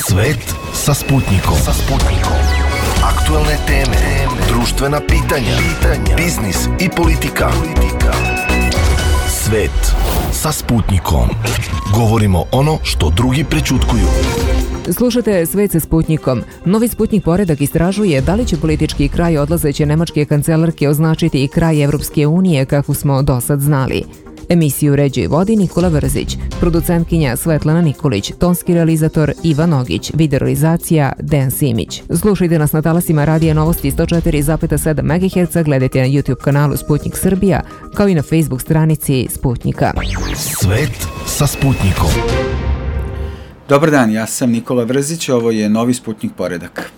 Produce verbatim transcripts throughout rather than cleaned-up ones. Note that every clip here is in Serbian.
Svet sa Sputnikom. Sa Sputnikom. Aktuelne teme, društvena pitanja, pitanja, biznis i politika. politika. Svet sa Sputnikom. Govorimo ono što drugi prećutkuju. Slušate Svet sa Sputnikom. Novi Sputnik poredak istražuje da li će politički kraj odlazeće nemačke kancelarke označiti i kraj Evropske unije kako smo do sad znali. Emisiju uređuje i vodi Nikola Vrzić, producentkinja Svetlana Nikolić, tonski realizator Ivan Ogić, videorealizacija Dejan Simić. Slušajte nas na talasima Radija Novosti sto četiri zarez sedam megaherca, gledajte na YouTube kanalu Sputnik Srbija, kao i na Facebook stranici Sputnika. Svet sa Sputnikom. Dobar dan, ja sam Nikola Vrzić, ovo je Novi Sputnik poredak.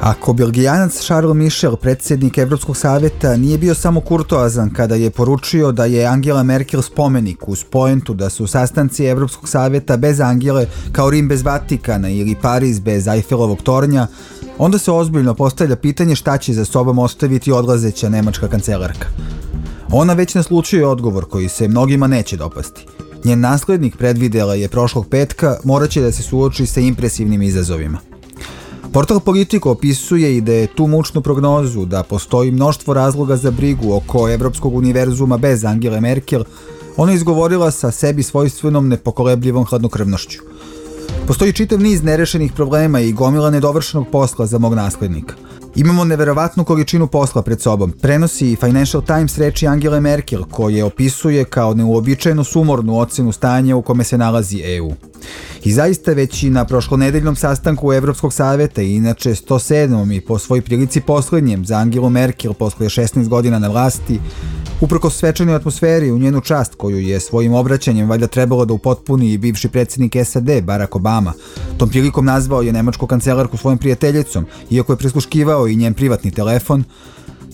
Ako Belgijanac Charles Michel, predsjednik Evropskog savjeta, nije bio samo kurtoazan kada je poručio da je Angela Merkel spomenik uz poentu da su sastanci Evropskog savjeta bez Angele kao Rim bez Vatikana ili Pariz bez Eiffelovog tornja, onda se ozbiljno postavlja pitanje šta će za sobom ostaviti odlazeća nemačka kancelarka. Ona već naslučuje odgovor koji se mnogima neće dopasti. Njen naslednik, predvidela je prošlog petka, morat će da se suoči sa impresivnim izazovima. Portal Politico opisuje i da je tu mučnu prognozu da postoji mnoštvo razloga za brigu oko Evropskog univerzuma bez Angele Merkel, ona izgovorila sa sebi svojstvenom nepokolebljivom hladnokrvnošću. Postoji čitav niz nerešenih problema i gomila nedovršenog posla za mog naslednika. Imamo neverovatnu količinu posla pred sobom, prenosi Financial Times reči Angele Merkel, koje opisuje kao neuobičajeno sumornu ocenu stanja u kome se nalazi E U. I zaista već i na prošlonedeljnom sastanku Evropskog savjeta, i inače sto sedmom i po svoj prilici poslednjem za Angelu Merkel posle šesnaest godina na vlasti, uprkos svečanoj atmosferi u njenu čast koju je svojim obraćanjem valjda trebalo da upotpuni i bivši predsjednik S A D Barack Obama, tom prilikom nazvao je nemačku kancelarku svojom prijateljicom, iako je prisluškivao i njen privatni telefon,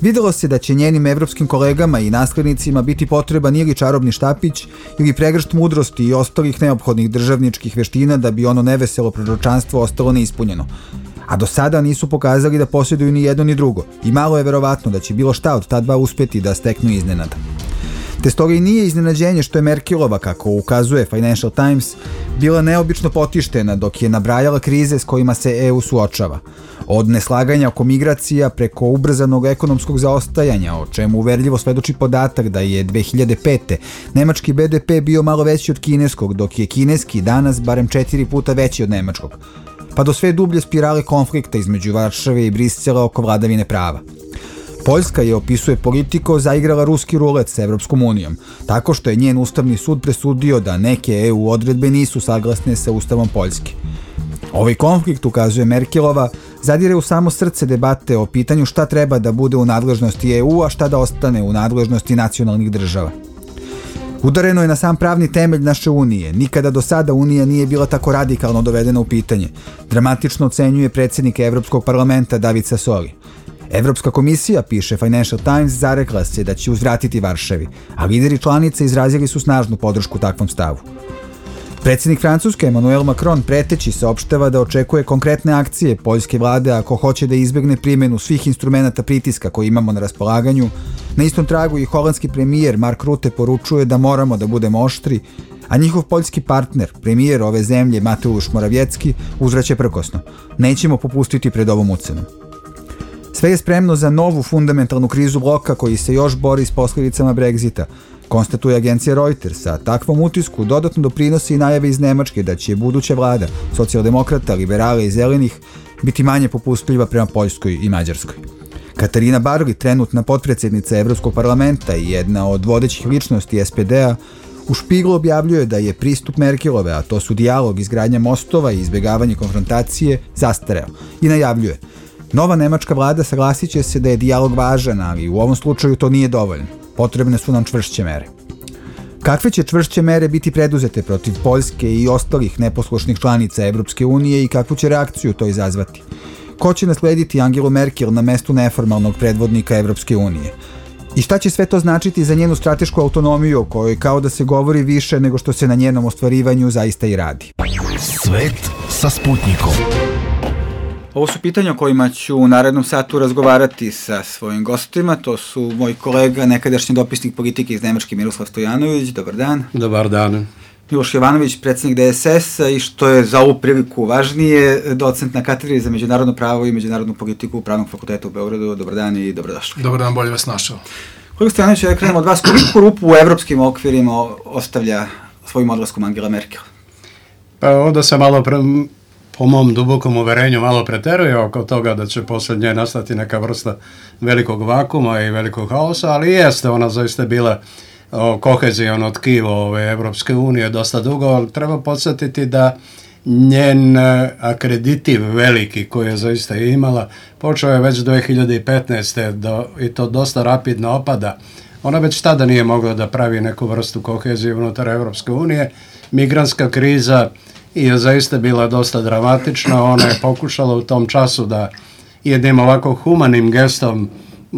videlo se da će njenim evropskim kolegama i naslednicima biti potreban ili čarobni štapić ili pregršt mudrosti i ostalih neophodnih državničkih veština da bi ono neveselo proročanstvo ostalo neispunjeno. A do sada nisu pokazali da posjeduju ni jedno ni drugo i malo je verovatno da će bilo šta od ta dva uspeti da steknu iznenada. Te stoga i nije iznenađenje što je Merkelova, kako ukazuje Financial Times, bila neobično potištena dok je nabrajala krize s kojima se E U suočava. Od neslaganja oko migracija preko ubrzanog ekonomskog zaostajanja, o čemu uverljivo svedoči podatak da je dve hiljade pete. nemački B D P bio malo veći od kineskog, dok je kineski danas barem četiri puta veći od nemačkog. Pa do sve dublje spirale konflikta između Varšave i Brisela oko vladavine prava. Poljska je, opisuje Politico, zaigrala ruski rulet sa Evropskom unijom, tako što je njen ustavni sud presudio da neke E U odredbe nisu saglasne sa ustavom Poljske. Ovaj konflikt, ukazuje Merkelova, zadire u samo srce debate o pitanju šta treba da bude u nadležnosti E U, a šta da ostane u nadležnosti nacionalnih država. Udareno je na sam pravni temelj naše unije. Nikada do sada unija nije bila tako radikalno dovedena u pitanje. Dramatično ocenjuje predsjednik Evropskog parlamenta David Sassoli. Evropska komisija, piše Financial Times, zarekla se da će uzvratiti Varšavi, a lideri članice izrazili su snažnu podršku takvom stavu. Predsjednik Francuske Emmanuel Macron preteći saopštava da očekuje konkretne akcije poljske vlade ako hoće da izbegne primjenu svih instrumenata pritiska koje imamo na raspolaganju. Na istom tragu i holandski premijer Mark Rutte poručuje da moramo da budemo oštri, a njihov poljski partner, premijer ove zemlje Mateusz Morawiecki, uzvraća prkosno. Nećemo popustiti pred ovom ucenom. Sve je spremno za novu fundamentalnu krizu bloka koji se još bori s posljedicama Brexita, konstatuje agencija Reuters, a takvom utisku dodatno doprinosi i najave iz Nemačke da će buduća vlada socijaldemokrata, liberala i zelenih biti manje popustljiva prema Poljskoj i Mađarskoj. Katarina Barli, trenutna potpredsjednica Evropskog parlamenta i jedna od vodećih ličnosti S P D-a, u Špiglu objavljuje da je pristup Merkelove, a to su dijalog, izgradnja mostova i izbjegavanje konfrontacije, zastareo i najavljuje: nova nemačka vlada saglasit će se da je dijalog važan, ali u ovom slučaju to nije dovoljno. Potrebne su nam čvršće mere. Kakve će čvršće mere biti preduzete protiv Poljske i ostalih neposlušnih članica Evropske unije i kakvu će reakciju to izazvati? Ko će naslediti Angelu Merkel na mestu neformalnog predvodnika Evropske unije? I šta će sve to značiti za njenu stratešku autonomiju o kojoj kao da se govori više nego što se na njenom ostvarivanju zaista i radi? Svet sa Sputnikom. Ovo su pitanja o kojima ću u narednom satu razgovarati sa svojim gostima. To su moj kolega, nekadašnji dopisnik politike iz Nemačke, Miroslav Stojanović. Dobar dan. Dobar dan. Miloš Jovanović, predsjednik D S S-a i što je za ovu priliku važnije, docent na katedri za međunarodno pravo i međunarodnu politiku Pravnog fakulteta u Beogradu. Dobar dan i dobrodošli. Dobar dan, bolje vas našao. Kolega Stojanović, ja krenemo od vas, koliko rupu u evropskim okvirima ostavlja svojim odlaskom Angela Merkel? Pa ovdje se malo, pre, po mom dubokom uverenju, malo preteruje oko toga da će poslije nje nastati neka vrsta velikog vakuma i velikog haosa, ali jeste ona zaista bila kohezijono tkivo ove Evropske unije dosta dugo, ali treba podsjetiti da njen akreditiv veliki koji je zaista imala počeo je već dvije hiljade petnaeste. Do, i to dosta rapidno opada. Ona već tada nije mogla da pravi neku vrstu kohezije unutar Evropske unije. Migrantska kriza je zaista bila dosta dramatična. Ona je pokušala u tom času da jednim ovako humanim gestom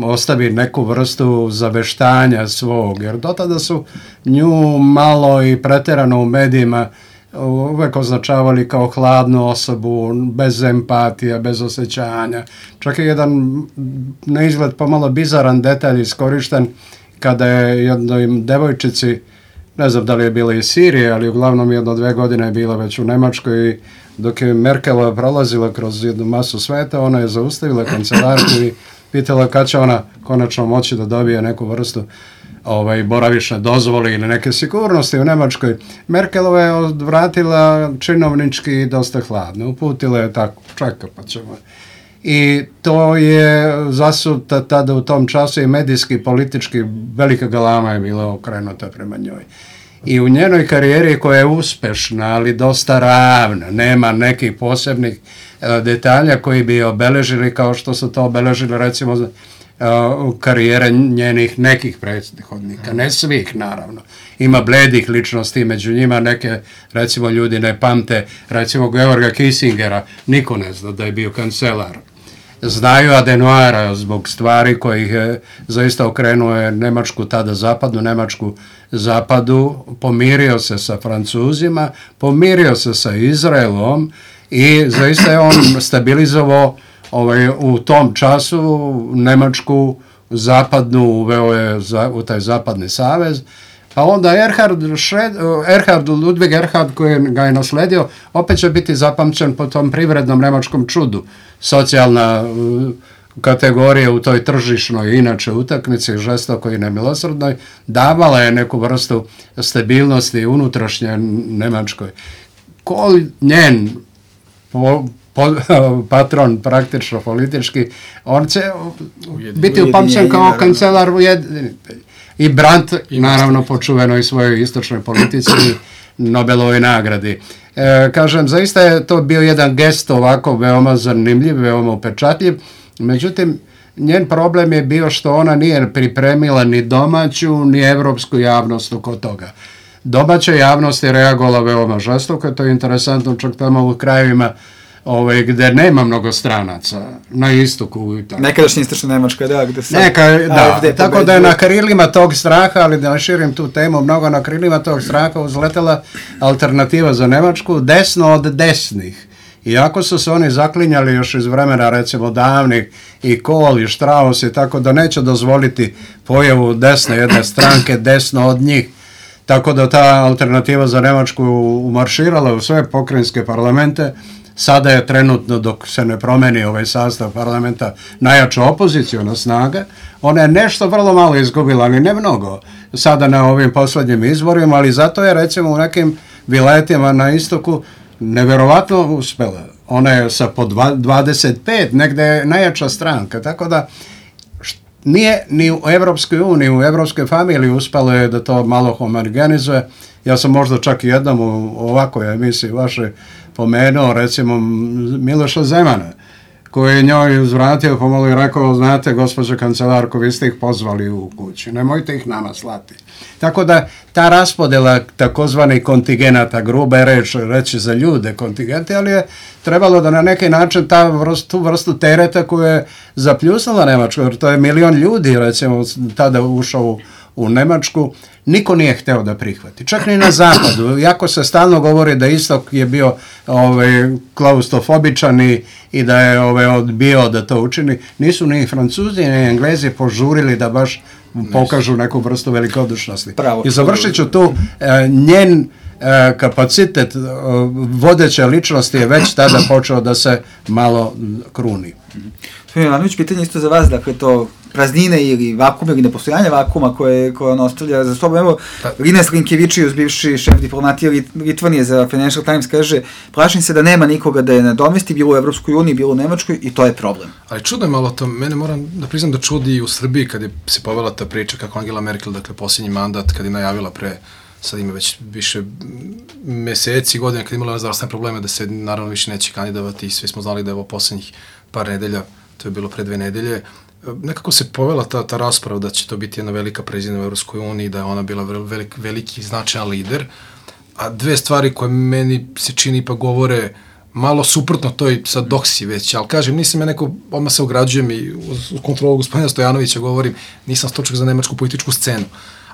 ostavi neku vrstu zaveštanja svog, jer do tada su nju malo i pretjerano u medijima uvek označavali kao hladnu osobu, bez empatija, bez osjećanja. Čak je jedan na izgled pomalo bizaran detalj iskorišten kada je jednoj devojčici, ne znam da li je bila iz Sirije, ali uglavnom jedno dve godine je bila već u Nemačkoj i dok je Merkelova prolazila kroz jednu masu sveta, ona je zaustavila kancelarku i pitala kad će ona konačno moći da dobije neku vrstu ovaj, boravišne dozvole ili neke sigurnosti u Nemačkoj. Merkelova je odvratila činovnički dosta hladno. Uputila je tako, čeka pa ćemo. I to je zasuta tada u tom času i medijski, politički, velika galama je bila okrenuta prema njoj. I u njenoj karijeri koja je uspešna, ali dosta ravna, nema nekih posebnih uh, detalja koji bi obeležili kao što su to obeležili recimo uh, karijere njenih nekih prethodnika, ne svih naravno. Ima bledih ličnosti, među njima neke recimo ljudi ne pamte, recimo Georga Kissingera, niko ne zna da je bio kancelar. Znaju Adenauera zbog stvari kojih je zaista okrenuo je Nemačku, tada zapadnu Nemačku zapadu, pomirio se sa Francuzima, pomirio se sa Izraelom i zaista je on stabilizovao ovaj, u tom času Nemačku zapadnu, uveo je za, u taj zapadni savez. Pa onda Erhard, Šred, Erhard Ludwig Erhard koji ga je nasledio, opet će biti zapamćen po tom privrednom nemačkom čudu. Socijalna uh, kategorija u toj tržišnoj inače utakmici, žestokoj i nemilosrdnoj, davala je neku vrstu stabilnosti unutrašnje Nemačkoj. Ko njen po, po, patron praktično politički, on će biti upamćen kao kancelar ujedinjenih. I Brandt, naravno, počuveno i svojoj istočnoj politici i Nobelovoj nagradi. E, kažem, zaista je to bio jedan gest ovako veoma zanimljiv, veoma upečatljiv, međutim, njen problem je bio što ona nije pripremila ni domaću, ni evropsku javnost oko toga. Domaća javnost je reagovala veoma žestoko, to je interesantno čak tamo u krajevima Ove, gde nema mnogo stranaca, na istoku. Nekadašnja istočna Nemačka, da, gde sad Neka, da, A F D tako da je na krilima tog straha, ali da ne širim tu temu, mnogo na krilima tog straha uzletela alternativa za Nemačku, desno od desnih. Iako su se oni zaklinjali još iz vremena, recimo, davnih, i Kohl i Strauss, i tako da neće dozvoliti pojavu desne jedne stranke, desno od njih. Tako da ta alternativa za Nemačku umarširala u sve pokrajinske parlamente. Sada je trenutno, dok se ne promeni ovaj sastav parlamenta, najjača opozicijona snaga. Ona je nešto vrlo malo izgubila, ali ne mnogo, sada na ovim posljednjim izborima, ali zato je recimo u nekim vilajetima na istoku neverovatno uspela. Ona je sa po dvadeset pet, negde je najjača stranka, tako da nije ni u Evropskoj uniji, u Evropskoj familiji uspelo je da to malo homogenizuje. Ja sam možda čak i jednom u ovakoj emisiji vaše pomenuo, recimo, Miloša Zemana, koji je njoj uzvratio pomalo i rekao, znate, gospođo kancelarko, vi ste ih pozvali u kući, nemojte ih nama slati. Tako da ta raspodjela takozvanih kontigenata, gruba je reč, reći za ljude kontingenti, ali je trebalo da na neki način ta vrstu, tu vrstu tereta koju je zapljusnula Nemačku, jer to je milion ljudi, recimo, tada ušao u u Nemačku, niko nije hteo da prihvati. Čak ni na zapadu. Iako se stalno govori da istok je bio ovaj, klaustrofobičan i, i da je ovaj, odbio da to učini, nisu ni Francuzi ni Englezi požurili da baš pokažu neku vrstu velikodušnosti. Pravo, I završit ću tu, e, njen e, kapacitet e, vodeće ličnosti je već tada počeo da se malo kruni. Gospodin Jovanović, pitanje isto za vas, dakle to praznine ili vakum ili nepostojanje vakuma koje, koje on ostavlja za sobom. Evo, Linas Linkevičius, bivši šef diplomatije Litvanije za Financial Times, kaže, plašim se da nema nikoga da je nadomesti, bilo u Evropskoj uniji, bilo u Nemačkoj i to je problem. Ali čudo je malo to, mene moram da priznam da čudi i u Srbiji kad je se povela ta priča kako Angela Merkel, dakle posljednji mandat, kad je najavila pre, sad ima već više meseci, godine, kad je imala zdravstvene probleme da se naravno više neće kandidovati i svi smo znali da je ovo posljednjih par nedelja, to je bilo pre dve nedelje, nekako se povela ta, ta rasprava da će to biti jedna velika prezident u Evropskoj uniji, da je ona bila velik, veliki značajan lider, a dve stvari koje meni se čini pa govore malo suprotno toj sad doksi već, ali kažem, nisam ja neko, odmah se ograđujem i u kontrolu gospodina Stojanovića govorim, nisam stručnjak za nemačku političku scenu,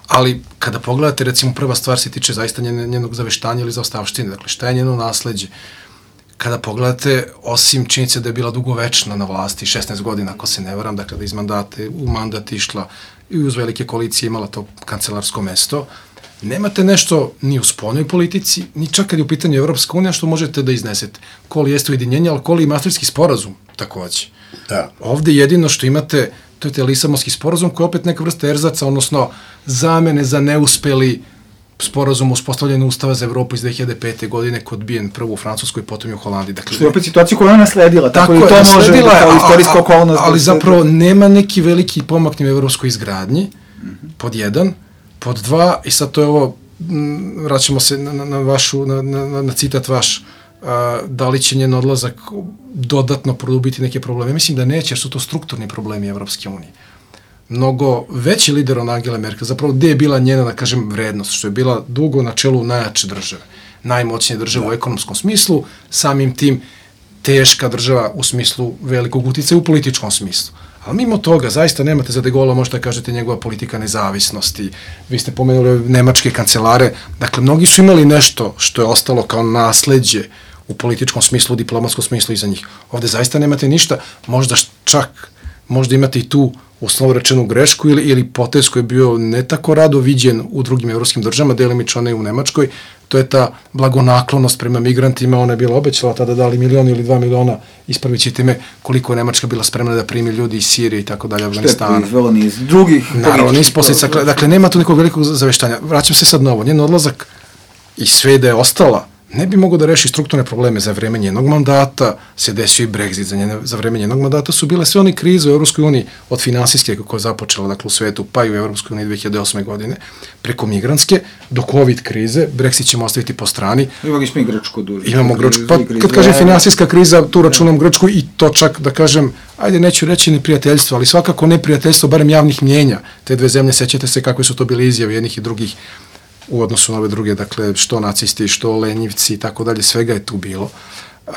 ali kada pogledate, recimo, prva stvar se tiče zaista njenog zaveštanja ili zaostavštine, dakle, šta je njeno nasleđe? Kada pogledate, osim činjenice da je bila dugovečna na vlasti, šesnaest godina, ako se ne varam, dakle, da iz mandate u mandat išla i uz velike koalicije imala to kancelarsko mesto, nemate nešto ni u spoljnoj politici, ni čak kad je u pitanju Evropska unija što možete da iznesete. Koli jeste ujedinjenje, ali koli i Maastrichtski sporazum, takođe. Da. Ovde jedino što imate, to je te Lisabonski sporazum koji je opet neka vrsta erzaca, odnosno zamene za neuspeli sporazum uspostavljanja Ustava za Evropu iz dve hiljade pete. godine kod odbijen prvo u Francuskoj, potom i u Holandiji. Dakle, što je opet situacija koju ona nasledila, tako, tako i to je, može da kao istorijska okolnost. Ali zapravo nema neki veliki pomak ni u evropskoj izgradnji, pod jedan, pod dva, i sad to je ovo, vraćamo se na, na, vašu, na, na, na citat vaš, a, da li će njen odlazak dodatno produbiti neke probleme. Mislim da neće, jer su to strukturni problemi Evropske unije. Mnogo veći lider od Angela Merkel, zapravo gde je bila njena, da kažem, vrednost, što je bila dugo na čelu najjače države, najmoćnije države u ekonomskom smislu, samim tim teška država u smislu velikog uticaja u političkom smislu. Ali mimo toga, zaista nemate za De Gaulle, možete da kažete njegova politika nezavisnosti, vi ste pomenuli nemačke kancelare, dakle, mnogi su imali nešto što je ostalo kao nasleđe u političkom smislu, u diplomatskom smislu iza njih. Ovde zaista nemate ništa, možda čak, možda imate i tu uslovno rečenu grešku ili, ili potez koji je bio ne tako rado viđen u drugim evropskim državama, delimično ne u Nemačkoj, to je ta blagonaklonost prema migrantima, ona je bila obećala tada dali milion ili dva miliona, ispravit ćete me, koliko je Nemačka bila spremna da primi ljudi iz Sirije i tako dalje, Afganistana. Što je proizvelo niz drugih... Naravno, niz posljedica, dakle, nema tu nekog velikog zaveštanja. Vraćam se sad na ovo, njen odlazak i sve da je ostala, ne bi mogo da reši strukturne probleme za vreme njenog mandata, se desio i Brexit za, njene, za vreme njenog mandata, su bile sve one krize u Evropskoj uniji, od finansijske koja je započela, dakle, u svetu, pa i u Evropskoj uniji dve hiljade osme. godine, preko migrantske, do COVID krize, Brexit ćemo ostaviti po strani. Imamo i Grčku duže. Imamo Grčku, pa kad kažem finansijska kriza, tu računam Grčku i to čak, da kažem, ajde, neću reći neprijateljstvo, ali svakako neprijateljstvo, barem javnih mnjenja. Te dve zemlje, sećate se kakve su to bile izjave jednih i drugih u odnosu na ove druge, dakle, što nacisti, što lenjivci i tako dalje, svega je tu bilo. Uh,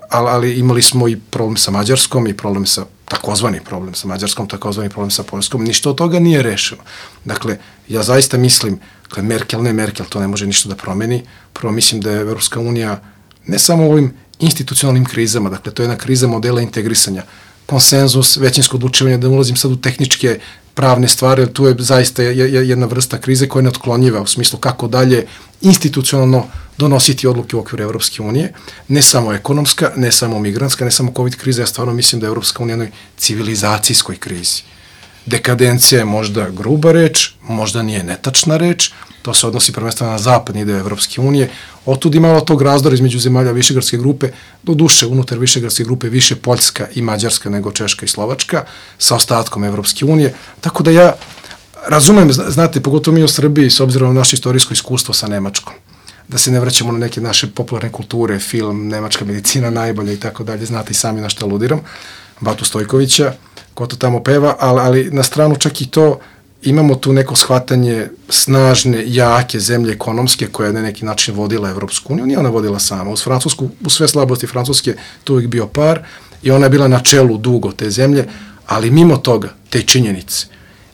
ali, ali imali smo i problem sa Mađarskom i problem sa, takozvani problem sa Mađarskom, takozvani problem sa Poljskom, ništa od toga nije rešeno. Dakle, ja zaista mislim, dakle, Merkel, ne Merkel, to ne može ništa da promeni. Prvo mislim da je Evropska unija ne samo u ovim institucionalnim krizama, dakle, to je jedna kriza modela integrisanja, konsenzus, većinsko odlučivanje, da ne ulazim sad u tehničke pravne stvari, jer tu je zaista jedna vrsta krize koja je neotklonjiva u smislu kako dalje institucionalno donositi odluke u okviru Evropske unije, ne samo ekonomska, ne samo migrantska, ne samo COVID kriza, ja stvarno mislim da je Evropska unija u jednoj civilizacijskoj krizi. Dekadencija je možda gruba reč, možda nije netačna reč, to se odnosi prvenstveno na zapadni deo Evropske unije, otud imalo tog razdora između zemalja Višegradske grupe, do duše unutar Višegradske grupe više Poljska i Mađarska nego Češka i Slovačka, sa ostatkom Evropske unije, tako da ja razumem, znate, pogotovo mi u Srbiji, s obzirom na naše istorijsko iskustvo sa Nemačkom, da se ne vraćamo na neke naše popularne kulture, film, nemačka medicina najbolja i tako dalje, znate i sami na što aludiram, Batu Stojkovića, ko to tamo peva, ali, ali na stranu čak i to, imamo tu neko shvatanje snažne, jake zemlje ekonomske koja je na neki način vodila Evropsku uniju, nije ona vodila sama. Uz Francusku, u sve slabosti Francuske, tu uvijek bio par i ona je bila na čelu dugo te zemlje, ali mimo toga, te činjenice,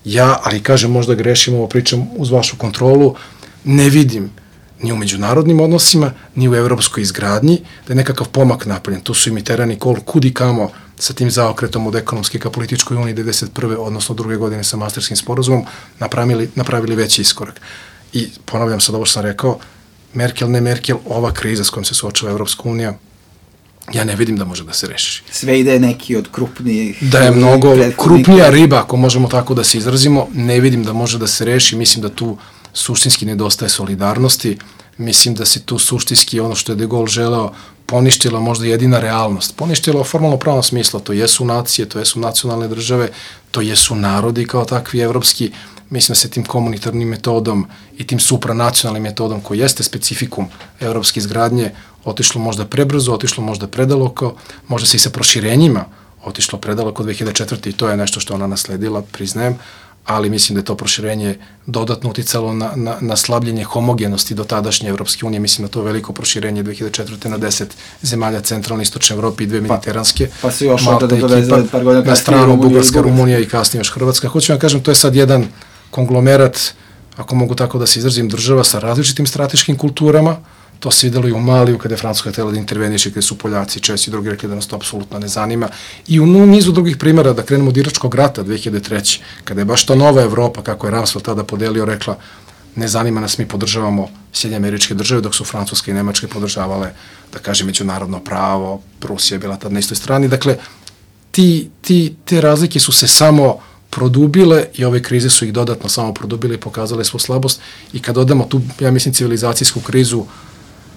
ja, ali kažem, možda grešim, ovo pričam uz vašu kontrolu, ne vidim ni u međunarodnim odnosima, ni u evropskoj izgradnji, da je nekakav pomak napravljen. Tu su i Mitterrand i Kohl kudi kamo sa tim zaokretom od ekonomske ka političkoj uniji devedeset prve odnosno druge godine sa Maastrichtskim sporazumom napravili, napravili veći iskorak. I ponavljam sad ovo što sam rekao, Merkel, ne Merkel, ova kriza s kojom se suočava Evropska unija, ja ne vidim da može da se reši. Sve ide neki od krupnijih... Da je mnogo krupnija riba, ako možemo tako da se izrazimo, ne vidim da može da se reši. Mislim da tu suštinski nedostaje solidarnosti. Mislim da se tu suštinski ono što je De Gaulle želeo poništila možda jedina realnost. Poništila u formalno pravnom smislu. To jesu nacije, to jesu nacionalne države, to jesu narodi kao takvi evropski. Mislim da se tim komunitarnim metodom i tim supranacionalnim metodom koji jeste specifikum evropske izgradnje otišlo možda prebrzo, otišlo možda predaleko, možda se i sa proširenjima otišlo predaleko dve hiljade četvrte. i to je nešto što ona nasledila, priznajem, ali mislim da je to proširenje dodatno uticalo na, na, na slabljenje homogenosti do tadašnje Evropske unije. Mislim da to veliko proširenje dve hiljade četvrte na deset zemalja centralne i istočne Evrope i dve mediteranske. Pa, pa se još onda da doveze par godina na stranu Bugarska, Rumunija i kasnije još Hrvatska. Hoću vam kažem, to je sad jedan konglomerat, ako mogu tako da se izrazim, država sa različitim strateškim kulturama. To se videlo i u Maliju, kada je Francuska htjela da interveniše, kada su Poljaci, Česi i drugi rekli da nas to apsolutno ne zanima. I u nizu drugih primjera, da krenemo od Iračkog rata dve hiljade treće. kada je baš ta nova Evropa, kako je Rumsfeld tada podelio, rekla ne zanima nas, mi podržavamo Sjedinjene Američke Države, dok su Francuska i Nemačke podržavale, da kažem, međunarodno pravo, Rusija je bila tad na istoj strani. Dakle, ti, ti, te razlike su se samo produbile i ove krize su ih dodatno samo produbile i pokazale svu slabost. I kad odemo tu, ja mislim, civilizacijsku krizu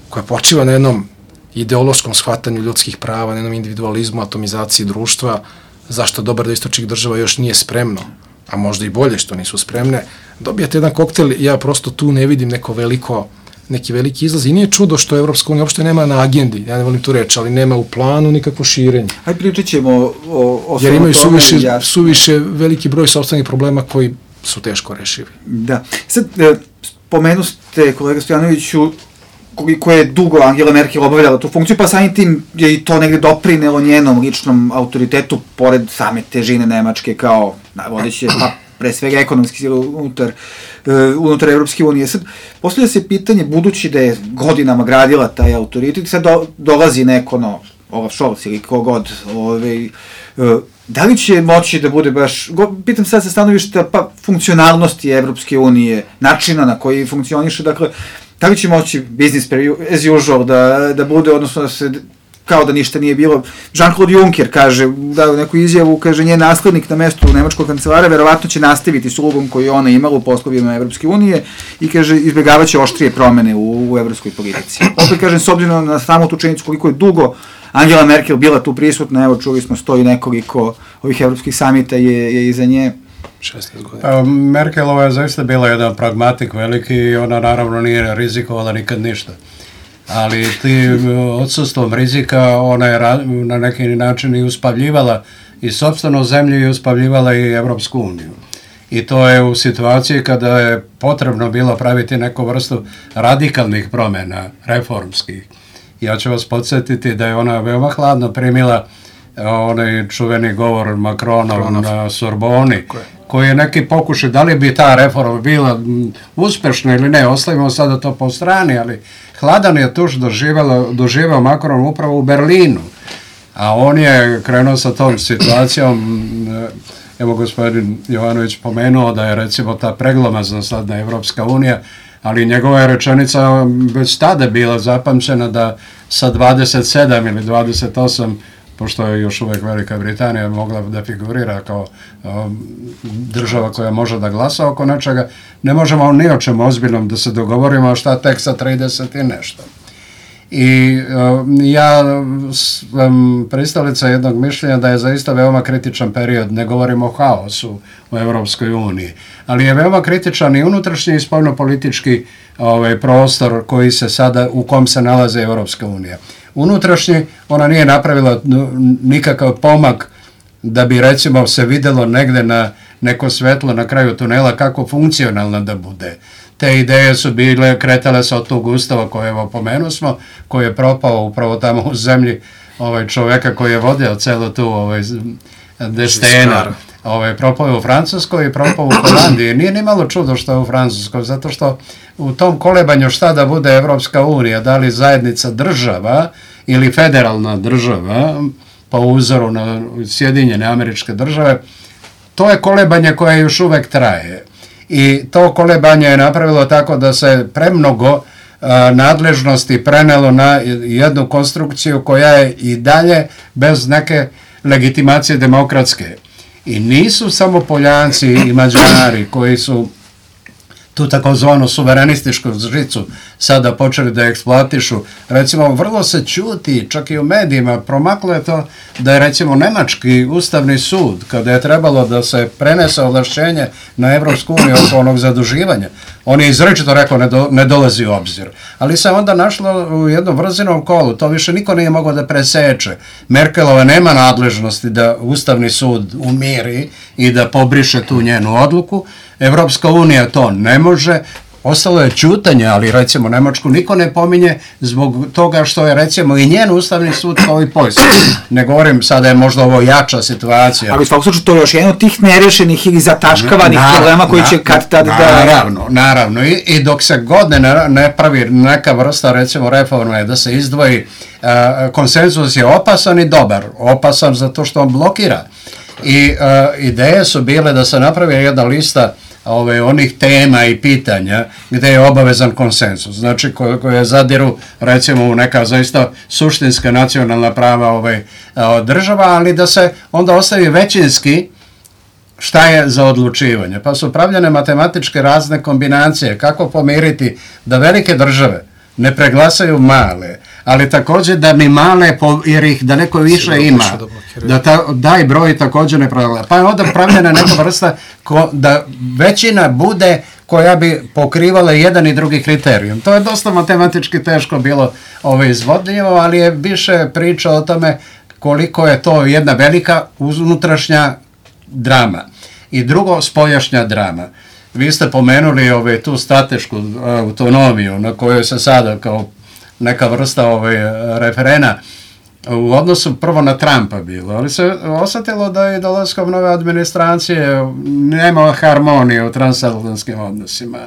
koja počiva na jednom ideološkom shvatanju ljudskih prava, na jednom individualizmu, atomizaciji društva, zašto dobar da istočnih država još nije spremno, a možda i bolje što nisu spremne, dobijate jedan koktel, ja prosto tu ne vidim neko veliko, neki veliki izlaz i nije čudo što Evropska unija uopšte nema na agendi, ja ne volim tu reći, ali nema u planu nikakvo širenje. Ajde pričat ćemo o, o Jer imaju suviše, suviše veliki broj sopstvenih problema koji su teško rešivi. Da. Sad, spomenu ste, kolega Stojanoviću, koliko je dugo Angela Merkel obavljala tu funkciju, pa samim tim je i to negde doprinelo njenom ličnom autoritetu, pored same težine Nemačke kao vodeće, pa pre svega ekonomski sile unutar, uh, unutar Evropske unije. Sad, postavlja se pitanje, budući da je godinama gradila taj autoritet, sad do, dolazi neko, no, Olaf Scholz ili kogod, ovaj, uh, da li će moći da bude baš, go, pitam sad sa stanovišta, pa funkcionalnosti Evropske unije, načina na koji funkcioniše, dakle, da li će moći business as usual da, da bude, odnosno da se kao da ništa nije bilo. Jean-Claude Juncker kaže, dao neku izjavu, kaže, njen naslednik na mestu nemačkog kancelara verovatno će nastaviti s ulogom koju je ona imala u poslovima Evropske unije i kaže, izbjegavaće oštrije promene u, u evropskoj politici. Opet kažem, s obzirom na samu tu činjenicu koliko je dugo Angela Merkel bila tu prisutna, evo čuli smo stoji nekoliko ovih evropskih samita je, je iza nje. šesnaest godina. Pa, Merkelova je zaista bila jedan pragmatik veliki i ona naravno nije rizikovala nikad ništa. Ali tim odsustvom rizika ona je na neki način i uspavljivala i sopstvenu zemlju i uspavljivala i Evropsku uniju. I to je u situaciji kada je potrebno bilo praviti neku vrstu radikalnih promjena, reformskih. Ja ću vas podsjetiti da je ona veoma hladno primila onaj čuveni govor Macronov na Sorboni, koji je neki pokušaj, da li bi ta reforma bila uspešna ili ne, ostavimo sada to po strani, ali hladan je tuš doživao Macron upravo u Berlinu, a on je krenuo sa tom situacijom. Evo gospodin Jovanović pomenuo da je recimo ta preglomazna sadna Evropska unija, ali njegova je rečenica već tada bila zapamćena da sa dvadeset sedam ili dvadeset osam, pošto je još uvijek Velika Britanija mogla da figurira kao um, država koja može da glasa oko nečega, ne možemo ni o čemu ozbiljnom da se dogovorimo, a šta tek sa trideset i nešto. I um, ja sam pristalica jednog mišljenja da je zaista veoma kritičan period, ne govorimo o haosu u Evropskoj uniji, ali je veoma kritičan i unutrašnji i spoljnopolitički ovaj, prostor koji se sada, u kom se nalaze Evropska unija. Unutrašnji, ona nije napravila nikakav pomak da bi recimo se videlo negde na neko svetlo na kraju tunela kako funkcionalna da bude. Te ideje su bile, kretale se od tog ustava koje evo pomenuo smo, koji je propao upravo tamo u zemlji ovaj, čoveka koji je vodio celo tu ovaj, destena. Ovaj, propao je u Francuskoj i propao u Holandiji. Nije ni malo čudo što je u Francuskoj, zato što u tom kolebanju šta da bude Evropska unija, da li zajednica država ili federalna država, po uzoru na Sjedinjene Američke Države, to je kolebanje koje još uvek traje. I to kolebanje je napravilo tako da se premnogo nadležnosti prenelo na jednu konstrukciju koja je i dalje bez neke legitimacije demokratske. I nisu samo Poljanci i Mađari koji su tu takozvanu suverenističku žicu sada počeli da eksploatišu. Recimo, vrlo se čuti, čak i u medijima, promaklo je to da je recimo Nemački ustavni sud, kada je trebalo da se prenese ovlašćenje na Evropsku uniju oko onog zaduživanja, on je izrečito rekao ne, do, ne dolazi u obzir. Ali se onda našlo u jednom vrzinom kolu, to više niko nije mogao da preseče. Merkelova nema nadležnosti da ustavni sud umiri i da pobriše tu njenu odluku. Evropska unija to ne može, ostalo je ćutanje, ali recimo Nemačku niko ne pominje zbog toga što je recimo i njen ustavni sud kao i Poljska. Ne govorim sada je možda ovo jača situacija. Ali u svakom slučaju to je još jedan od tih nerešenih ili zataškavanih na, problema koji na, će kad tad da... Naravno, naravno. I, i dok se god ne, ne pravi neka vrsta recimo reforme da se izdvoji, uh, konsenzus je opasan i dobar. Opasan zato što on blokira. I uh, ideje su bile da se napravi jedna lista ove, onih tema i pitanja gdje je obavezan konsensus, znači koje, koje zadiru recimo u neka zaista suštinska nacionalna prava ove, država, ali da se onda ostavi većinski šta je za odlučivanje. Pa su pravljene matematičke razne kombinacije kako pomiriti da velike države ne preglasaju male, ali također da ni male, jer ih da neko više ima, da ta, daj broj također ne pravilja. Pa je onda pravljena neka vrsta ko, da većina bude koja bi pokrivala jedan i drugi kriterijum. To je dosta matematički teško bilo ove izvodljivo, ali je više priča o tome koliko je to jedna velika unutrašnja drama. I drugo, spoljašnja drama. Vi ste pomenuli ove, tu stratešku autonomiju na kojoj se sada kao neka vrsta ove, referena u odnosu prvo na Trumpa bilo, ali se osjetilo da je dolaskom nove administracije nema harmonije u transatlantskim odnosima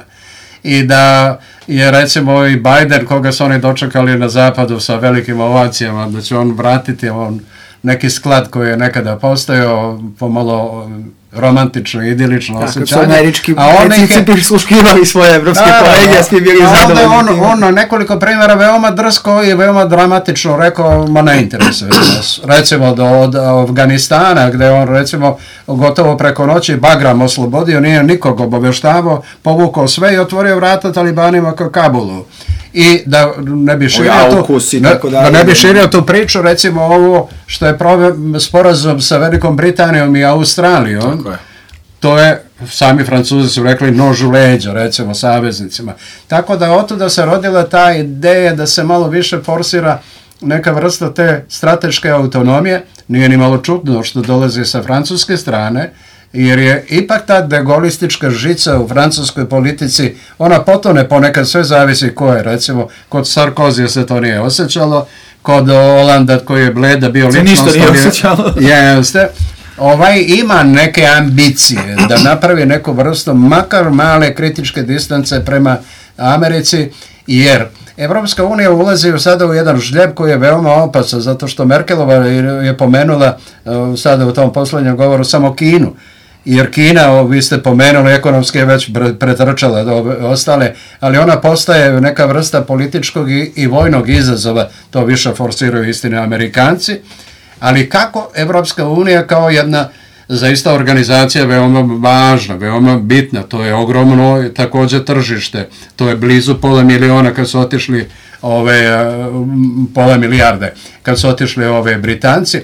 i da je recimo i Biden, koga su oni dočekali na zapadu sa velikim ovacijama, da će on vratiti on neki sklad koji je nekada postojao pomalo romantično, idilično osjećanje. Tako su američki predsjednici prisluškivali svoje evropske kolege, a svi bili zadovoljni. On, on na nekoliko primjera veoma drsko i veoma dramatično rekao, ma ne interesuje nas. Recimo do, od Afganistana, gde on recimo gotovo preko noći Bagram oslobodio, nije nikog obaveštavao, povukao sve i otvorio vrata talibanima kao Kabulu. I da ne bi širio tu, da, da ne bi širio tu priču, recimo ovo što je sporazum sa Velikom Britanijom i Australijom, je. To je, sami Francuzi su rekli, nož u leđa, recimo, saveznicima. Tako da otuda se rodila ta ideja da se malo više forsira neka vrsta te strateške autonomije, nije ni malo čudno što dolazi sa francuske strane, jer je ipak ta degolistička žica u francuskoj politici, ona potone ponekad, sve zavisi ko je, recimo, kod Sarkozija se to nije osjećalo, kod Holanda koji je bleda bio ličnost. Se ništa nije osjećalo. Jeste. Ovaj ima neke ambicije da napravi neku vrstu, makar male kritičke distance prema Americi, jer Evropska unija ulazi sada u jedan žljeb koji je veoma opasan, zato što Merkelova je pomenula sada u tom posljednjem govoru samo Kinu. Jer Kina, vi ste pomenuli, ekonomski je već pretrčala ostale, ali ona postaje neka vrsta političkog i, i vojnog izazova, to više forsiraju istine Amerikanci, ali kako Evropska unija kao jedna zaista organizacija veoma važna, veoma bitna, to je ogromno također tržište, to je blizu pola miliona kad su otišli ove, pola milijarde, kad su otišli ove Britanci,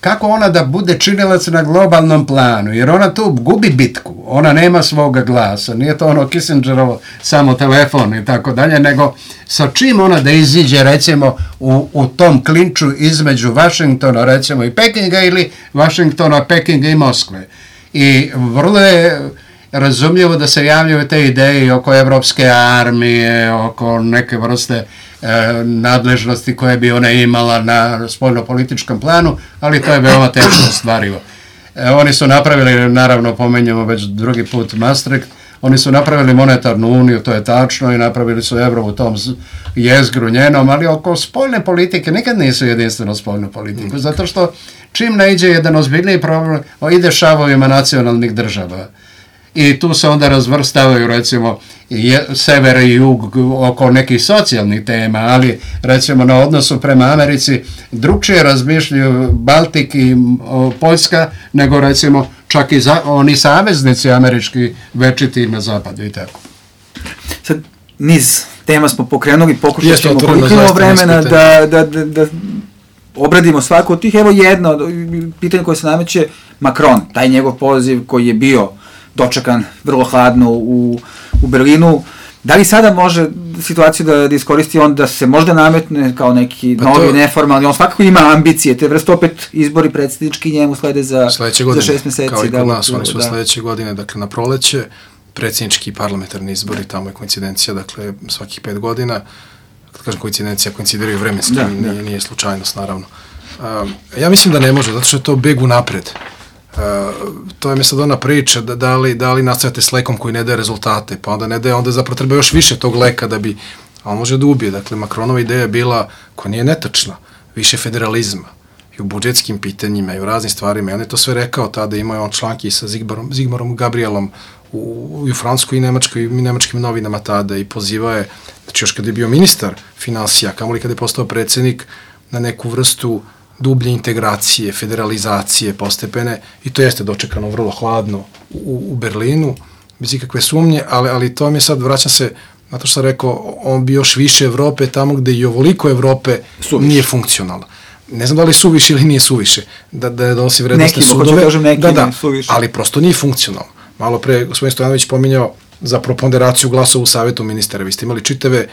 kako ona da bude činilac na globalnom planu, jer ona tu gubi bitku, ona nema svoga glasa, nije to ono Kissingerovo samo telefon i tako dalje, nego sa čim ona da iziđe recimo u, u tom klinču između Washingtona recimo i Pekinga ili Washingtona, Pekinga i Moskve. I vrlo je razumljivo da se javljaju te ideje oko evropske armije, oko neke vrste e, nadležnosti koje bi ona imala na spoljno-političkom planu, ali to je veoma teško ostvarivo. E, oni su napravili, naravno pomenjamo već drugi put Maastricht, oni su napravili monetarnu uniju, to je tačno, i napravili su evro u tom jezgru njenom, ali oko spoljne politike nikad nisu jedinstveno spoljnu politiku, zato što čim ne iđe jedan ozbiljniji problem, ide šavovima nacionalnih država. i tu se onda razvrstavaju recimo je, sever i jug oko nekih socijalnih tema, ali recimo na odnosu prema Americi drugčije razmišljaju Baltik i o, Poljska nego recimo čak i za, oni saveznici američki večiti na zapadu i tako. Sad, niz tema smo pokrenuli, pokušat ćemo koliko imamo vremena da, da, da, da obradimo svako od tih. Evo jedno pitanje koje se nameće, Macron, taj njegov poziv koji je bio dočekan vrlo hladno u, u Berlinu, da li sada može situaciju da, da iskoristi on da se možda nametne kao neki pa novi, to, neformalni, on svakako ima ambicije, te vrste opet izbori predsjednički njemu slede za, godine, za šest meseci. Kao i kod da, nas, oni su da. sledeće godine, dakle na proleće, predsjednički i parlamentarni izbori, tamo je koincidencija, dakle svakih pet godina, kad kažem koincidencija, koincidiraju vremenski, da, nije, da. nije slučajnost naravno. Um, ja mislim da ne može, zato što je to beg unapred. Uh, to je mi sad ona priča da, da li, da li nastavite s lekom koji ne daje rezultate, pa onda ne daje, onda zapravo treba još više tog leka da bi, a on može da ubije. Dakle, Macronova ideja je bila, koja nije netačna, više federalizma i u budžetskim pitanjima i u raznim stvarima. I on je to sve rekao tada, imao je on članki sa Zigmarom, Zigmarom Gabrielom u, i u Francuskoj i Nemačkoj i nemačkim novinama tada i pozivao je, znači još kada je bio ministar finansija, kamoli kada je postao predsjednik, na neku vrstu dublje integracije, federalizacije postepene i to jeste dočekano vrlo hladno u, u Berlinu, bez ikakve sumnje, ali, ali to mi je sad, vraćam se, na to što sam rekao, on bi još više Evrope tamo gde i ovoliko Evrope suviše. Nije funkcionalno. Ne znam da li suviše ili nije suviše, da, da ne donosi vrednostne sudove, kažem, neki da, da, ali prosto nije funkcionalno. Malo pre, gospodin Stojanović pominjao za proponderaciju glasova u Savetu ministara. Vi ste imali čitave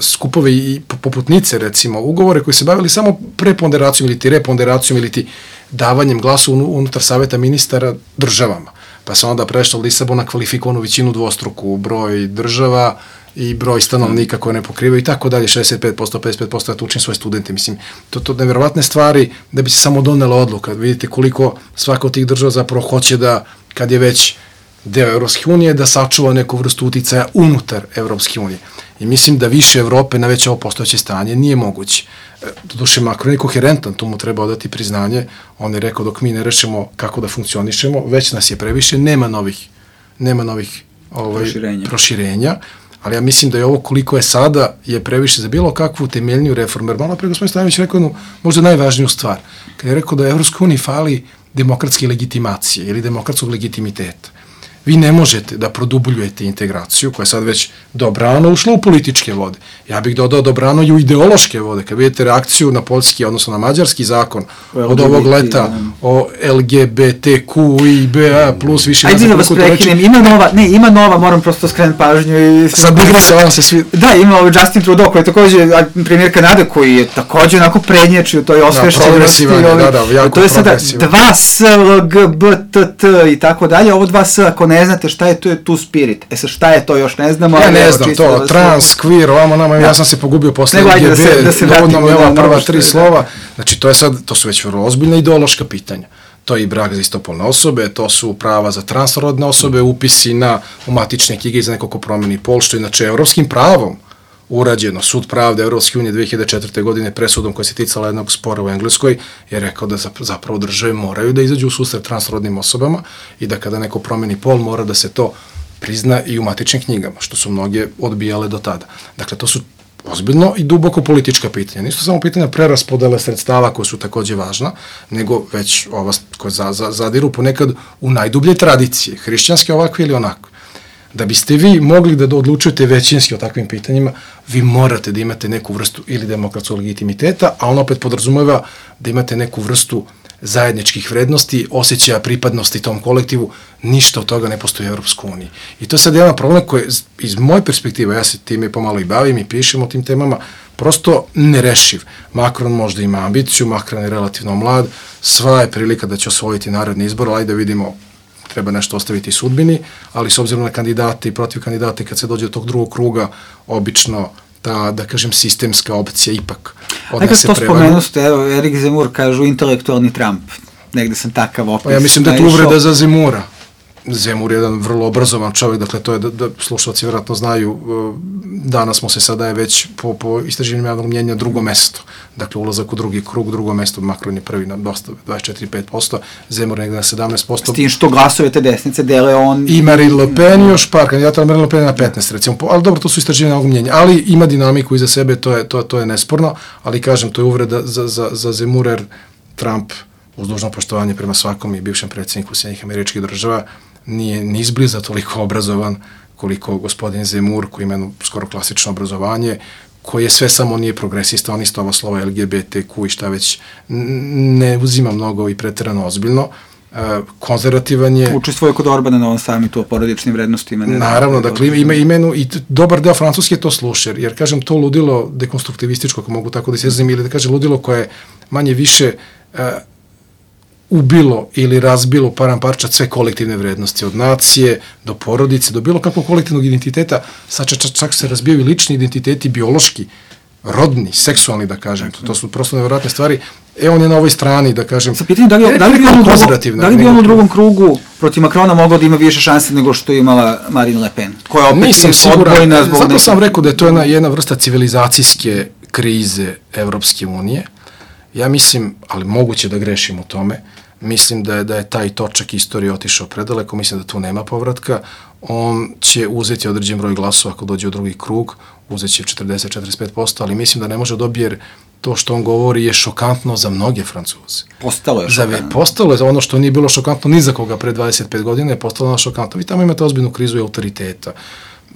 skupove i poputnice, recimo, ugovore koji se bavili samo preponderacijom ili ti reponderacijom ili ti davanjem glasa unutar saveta ministara državama. Pa se onda prešlo od Lisabona kvalifikovanu većinu dvostruku, broj država i broj stanovnika koje ne pokrivaju i tako dalje, šezdeset pet posto, pedeset pet posto, ja to učim svoje studente, mislim, to to nevjerovatne stvari da bi se samo donela odluka. Vidite koliko svaka od tih država zapravo hoće da, kad je već deo Evropske unije, da sačuva neku vrstu uticaja unutar Evropske unije. I mislim da više Evrope na već ovo postojeće stanje nije moguće. Doduše, Macron je koherentan, tu mu treba odati priznanje. On je rekao dok mi ne rešimo kako da funkcionišemo, već nas je previše, nema novih, nema novih ovaj, proširenja. proširenja, ali ja mislim da je ovo koliko je sada je previše za bilo kakvu temeljniju reformu. Jer malo pre gospodin Stojanović rekao jednu možda najvažniju stvar. Kad je rekao da Evropskoj uniji fali demokratske legitimacije ili demokratskog legitimiteta. Vi ne možete da produbljujete integraciju, koja je sad već dobrano ušla u političke vode. Ja bih dodao dobrano i u ideološke vode. Kad vidite reakciju na poljski, odnosno na mađarski zakon od ovog leta o L G B T Q I B A plus više... Ajde da vas prekinem, ima nova, ne, ima nova, moram prosto skrenuti pažnju. I... Sad bih se se svi... Da, ima ovaj Justin Trudeau, koji je takođe premijer Kanade, koji je takođe onako prednječio, to je osvešćenosti. Da, da, jako to je sada dva S, L, G, B, T, T i tako dalje. Ovo dva S, ako ne znate šta je, to je tu spirit. E sad šta je to još ne znamo. Ja ne znam to, da trans, queer, ovamo nama, ja sam se pogubio posle L G B, dovodno mi ova prva tri slova. Znači to je sad, to su već vrlo ozbiljne ideološka pitanja. To je i brak za istopolne osobe, to su prava za transrodne osobe, upisi na umatične knjige za neko ko promeni pol, što inače evropskim pravom urađeno. Sud pravde Evropske unije dve hiljade četvrte. godine presudom koja se ticala jednog spora u Engleskoj je rekao da zapravo države moraju da izađu u susret transrodnim osobama i da kada neko promeni pol mora da se to prizna i u matičnim knjigama, što su mnoge odbijale do tada. Dakle, to su ozbiljno i duboko politička pitanja. Nisu samo pitanja preraspodele sredstava koja su takođe važna, nego već ova koja za, za, zadiru ponekad u najdublje tradicije, hrišćanske ovakve ili onakve. Da biste vi mogli da odlučujete većinski o takvim pitanjima, vi morate da imate neku vrstu ili demokratskog legitimiteta, a on opet podrazumeva da imate neku vrstu zajedničkih vrednosti, osjećaja pripadnosti tom kolektivu, ništa od toga ne postoji u Evropskoj uniji. I to je sad jedan problem koji, iz moje perspektive, ja se time pomalo i bavim i pišem o tim temama, prosto nerešiv. Macron možda ima ambiciju, Macron je relativno mlad, sva je prilika da će osvojiti narodni izbor, ali da vidimo, treba nešto ostaviti sudbini, ali s obzirom na kandidate i protiv kandidate, kad se dođe do tog drugog kruga, obično ta, da kažem, sistemska opcija ipak odnese prevagu. Nekad to spomenuste, evo, Erik Zemur kažu intelektualni Trump. Negde sam takav opis. Pa ja mislim da je to uvreda za Zemura. Zemur je jedan vrlo obrazovan čovjek, dakle to je da, da slušalci vjerojatno znaju, danas mu se sada je već po, po istraživanju javnog mnjenja drugo mesto, dakle ulazak u drugi krug, drugo mesto, Macron je prvi na dosta, dvadeset četiri zarez pet posto, Zemur negde na sedamnaest posto. S tim što glasove te desnice dele on... I Marine Le Pen još par kandidata, ali Marine Le Pen je na petnaest recimo, ali dobro, to su istraživanja javnog mnjenja, ali ima dinamiku iza sebe, to je, to, to je nesporno, ali kažem, to je uvreda za, za, za Zemura, jer Trump, uz dužno poštovanje prema svakom i bivšem predsjedniku Sjedinjenih Američkih Država, nije ni izbliza toliko obrazovan koliko gospodin Zemur, koji ima skoro klasično obrazovanje, koji je sve samo nije progresista, on isto ova slova L G B T Q i šta već ne uzima mnogo i pretjerano ozbiljno. Konzervativan je... Učestvuje kod Orbana na ovom samitu o porodičnim vrednostima. Naravno, dakle ima imenu i dobar deo Francuske to sluša, jer kažem to ludilo dekonstruktivističko, ako mogu tako da se izrazim, ili da kažem ludilo koje manje više ubilo ili razbilo param parčad sve kolektivne vrednosti, od nacije do porodice, do bilo kakvog kolektivnog identiteta, sad čak, čak se razbijaju i lični identiteti, biološki, rodni, seksualni, da kažem, to, to su prosto nevjerojatne stvari. E, on je na ovoj strani, da kažem, sa pitanjem da li, da li bi on u drugom, da li bi on u drugom krugu protiv Macrona mogao da ima više šanse nego što je imala Marine Le Pen, koja opet nisam je siguran, odbojna zbog... Zato neke... sam rekao da je to jedna, jedna vrsta civilizacijske krize Evropske unije. Ja mislim, ali moguće da grešim u tome, mislim da je, da je taj točak istorije otišao predaleko, mislim da tu nema povratka, on će uzeti određen broj glasova ako dođe u drugi krug, uzet će četrdeset do četrdeset pet posto, ali mislim da ne može dobiti jer to što on govori je šokantno za mnoge Francuze. Postalo je šokantno. Postalo je ono što nije bilo šokantno ni za koga pre dvadeset pet godina, je postalo šokantno. Vi tamo imate ozbiljnu krizu i autoriteta.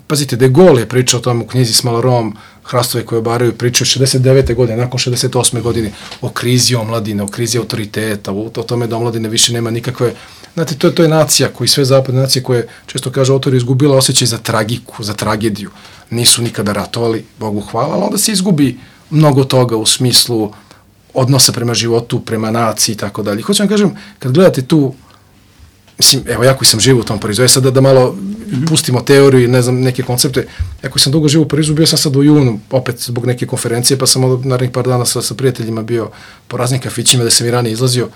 Pazite, De Gaulle je pričao o tom u knjizi s Malorom, Hrastove koje obaraju, pričao šezdeset devete godine, nakon šezdeset osme godine, o krizi omladine, o krizi autoriteta, o, o tome da omladine više nema nikakve... Znate, to je, to je nacija koji sve zapadne nacije koje, često kaže autor, izgubila osjećaj za tragiku, za tragediju. Nisu nikada ratovali, Bogu hvala, ali onda se izgubi mnogo toga u smislu odnosa prema životu, prema naciji i tako dalje. Hoću vam kažem, kad gledate tu, mislim, evo, ja koji sam živo u tom Parizu, je sad da, da malo pustimo teoriju i ne znam, neke koncepte, ja koji sam dugo živo u Parizu, bio sam sad u junu, opet zbog neke konferencije, pa sam od narednih par dana sa, sa prijateljima bio po raznim kafićima da sam i ranije izlazio.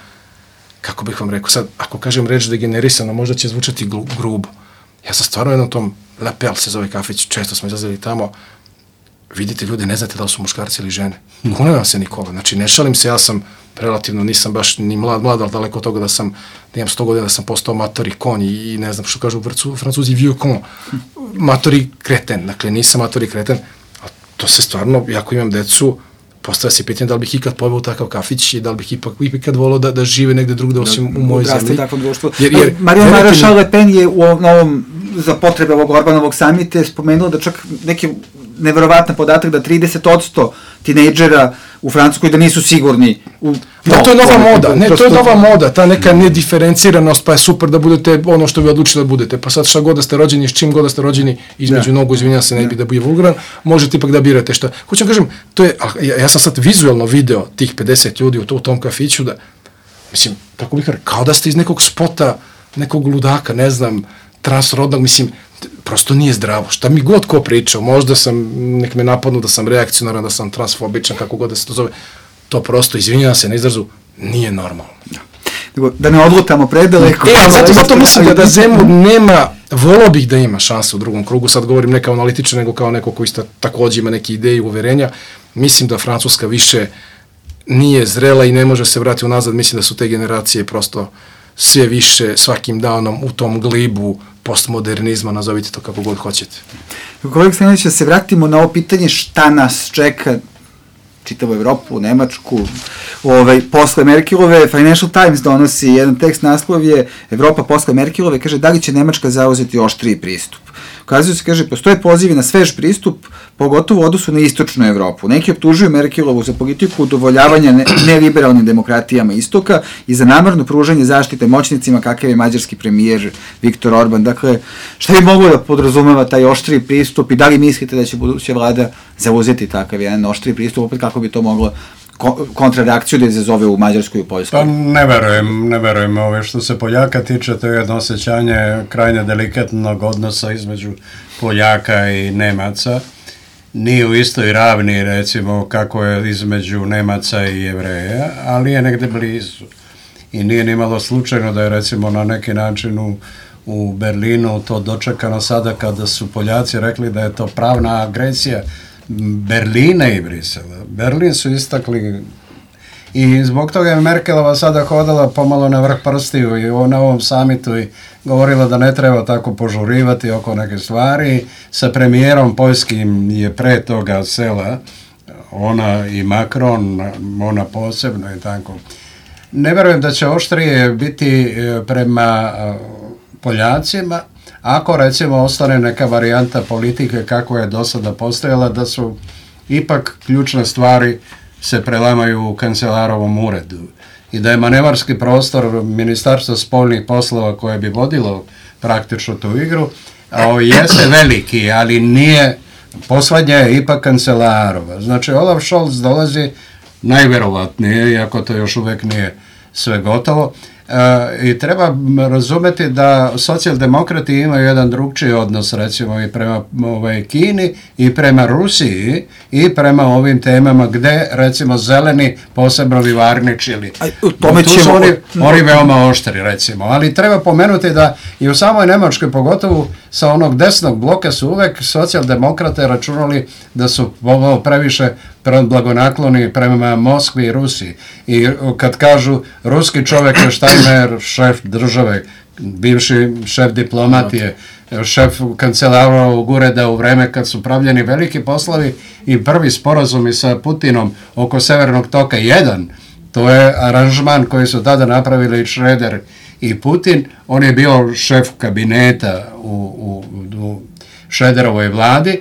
Kako bih vam rekao, sad, ako kažem reč degenerisano, možda će zvučati grubo. Ja sam stvarno jednom tom, La Pelle se zove kafić, često smo izlazili tamo, vidite ljudi, ne znate da li su muškarci ili žene. Kune vam se Nikola, znači ne šalim se, ja sam relativno, nisam baš ni mlad, mlad, ali daleko od toga da sam, da imam sto godina da sam postao matori konj i, i ne znam što kažu u Francuzi, vieux con, matori kreten, dakle nisam matori kreten, a to se stvarno, jako imam decu, postavlja se pitanje da li bih ikad poveo u takav kafić i da li bih ipak ikad volao da, da žive negde drugde osim da, u mojoj zemlji. Jer, jer, Marine Maréchal Le Pen je u ovom, za potrebe ovog Orbanovog samita spomenula da čak neki neverovatan podatak da trideset posto tinejdžera u Francuskoj da nisu sigurni. U, da, no, to je nova moda, ne, to je nova moda, ta neka nediferenciranost, pa je super da budete ono što vi odlučili da budete, pa sad šta god da ste rođeni, s čim god da ste rođeni, između nogu, izvinjam se, ne bi da bude vulgaran, možete ipak da birate šta. Hoću kažem, to je, ja, ja sam sad vizualno video tih pedeset ljudi u, to, u tom kafiću, da, mislim, kako bih rekao, kao da ste iz nekog spota, nekog ludaka, ne znam, transrodnog, mislim, prosto nije zdravo. Šta mi god ko pričao, možda sam, nek me napadnu da sam reakcionaran, da sam transfobičan, kako god da se to zove, to prosto, izvinjavam se na izrazu, nije normalno. Da, da ne odlutamo predaleko. E, zato, zato mislim da, da Zemur nema, volao bih da ima šanse u drugom krugu, sad govorim ne kao analitičan, nego kao neko koji sta, takođe ima neke ideje i uverenja. Mislim da Francuska više nije zrela i ne može se vratiti unazad, mislim da su te generacije prosto sve više svakim danom u tom glibu postmodernizma, nazovite to kako god hoćete. Kolega Stanović, da se vratimo na ovo pitanje šta nas čeka, čitavu Evropu, Nemačku, ovaj, posle Merkelove, Financial Times donosi jedan tekst, naslov je Evropa posle Merkelove, kaže da li će Nemačka zauzeti oštriji pristup. Ukazuje se, kaže, postoje pozivi na svež pristup, pogotovo u odnosu na istočnu Evropu. Neki optužuju Merkelovu za politiku udovoljavanja ne, neliberalnim demokratijama istoka i za namerno pružanje zaštite moćnicima kakav je mađarski premijer Viktor Orban. Dakle, šta bi moglo da podrazumeva taj oštriji pristup i da li mislite da će buduća vlada zauzeti takav jedan oštriji pristup, opet kako bi to moglo kontrareakciju da izazove u Mađarskoj i u Poljskoj? Pa ne verujem, ne verujem ove što se Poljaka tiče, to je jedno osjećanje krajnje delikatnog odnosa između Poljaka i Nemaca. Nije u istoj ravni, recimo, kako je između Nemaca i Jevreja, ali je negde blizu. I nije ni malo slučajno da je, recimo, na neki način u, u Berlinu to dočekano sada kada su Poljaci rekli da je to pravna agresija Berlina i Brisela. Berlin su istakli i zbog toga je Merkelova sada hodala pomalo na vrh prstiju i na ovom samitu i govorila da ne treba tako požurivati oko neke stvari. Sa premijerom poljskim je pre toga sela, ona i Macron, ona posebno i tako. Ne vjerujem da će oštrije biti prema Poljacima, ako recimo ostane neka varijanta politike kako je do sada postojala, da su ipak ključne stvari se prelamaju u kancelarovom uredu i da je manevarski prostor Ministarstva spoljnih poslova koje bi vodilo praktično tu igru, a jeste veliki, ali nije, poslednja je ipak kancelarova. Znači Olaf Scholz dolazi najverovatnije, iako to još uvek nije sve gotovo, e, i treba razumeti da socijaldemokrati imaju jedan drugčiji odnos recimo i prema ovaj, Kini i prema Rusiji i prema ovim temama gde recimo zeleni posebno vivarničili. Tu su oni, oni veoma oštri recimo, ali treba pomenuti da i u samoj Nemačkoj pogotovo sa onog desnog bloka su uvek socijaldemokrate računali da su previše blagonakloni prema Moskvi i Rusiji. I kad kažu ruski čovek je Steinmeier, šef države, bivši šef diplomatije, šef kancelarovog ureda u vreme kad su pravljeni veliki poslovi i prvi sporazumi sa Putinom oko Severnog toka jedan, to je aranžman koji su tada napravili Schröder i Putin, on je bio šef kabineta u, u, u Schröderovoj vladi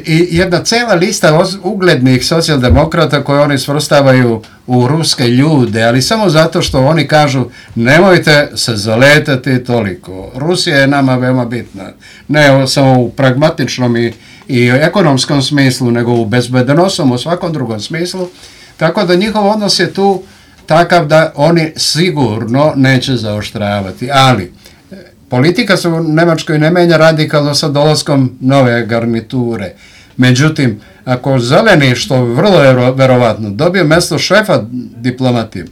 i jedna cela lista uglednih socijaldemokrata koje oni svrstavaju u ruske ljude, ali samo zato što oni kažu nemojte se zaletati toliko. Rusija je nama veoma bitna. Ne samo u pragmatičnom i, i ekonomskom smislu, nego u bezbednosnom, u svakom drugom smislu. Tako da njihov odnos je tu takav da oni sigurno neće zaoštravati. Ali politika se u Nemačkoj ne menja radikalno sa dolaskom nove garniture. Međutim, ako zeleni, što vrlo je verovatno, dobije mesto šefa diplomatije,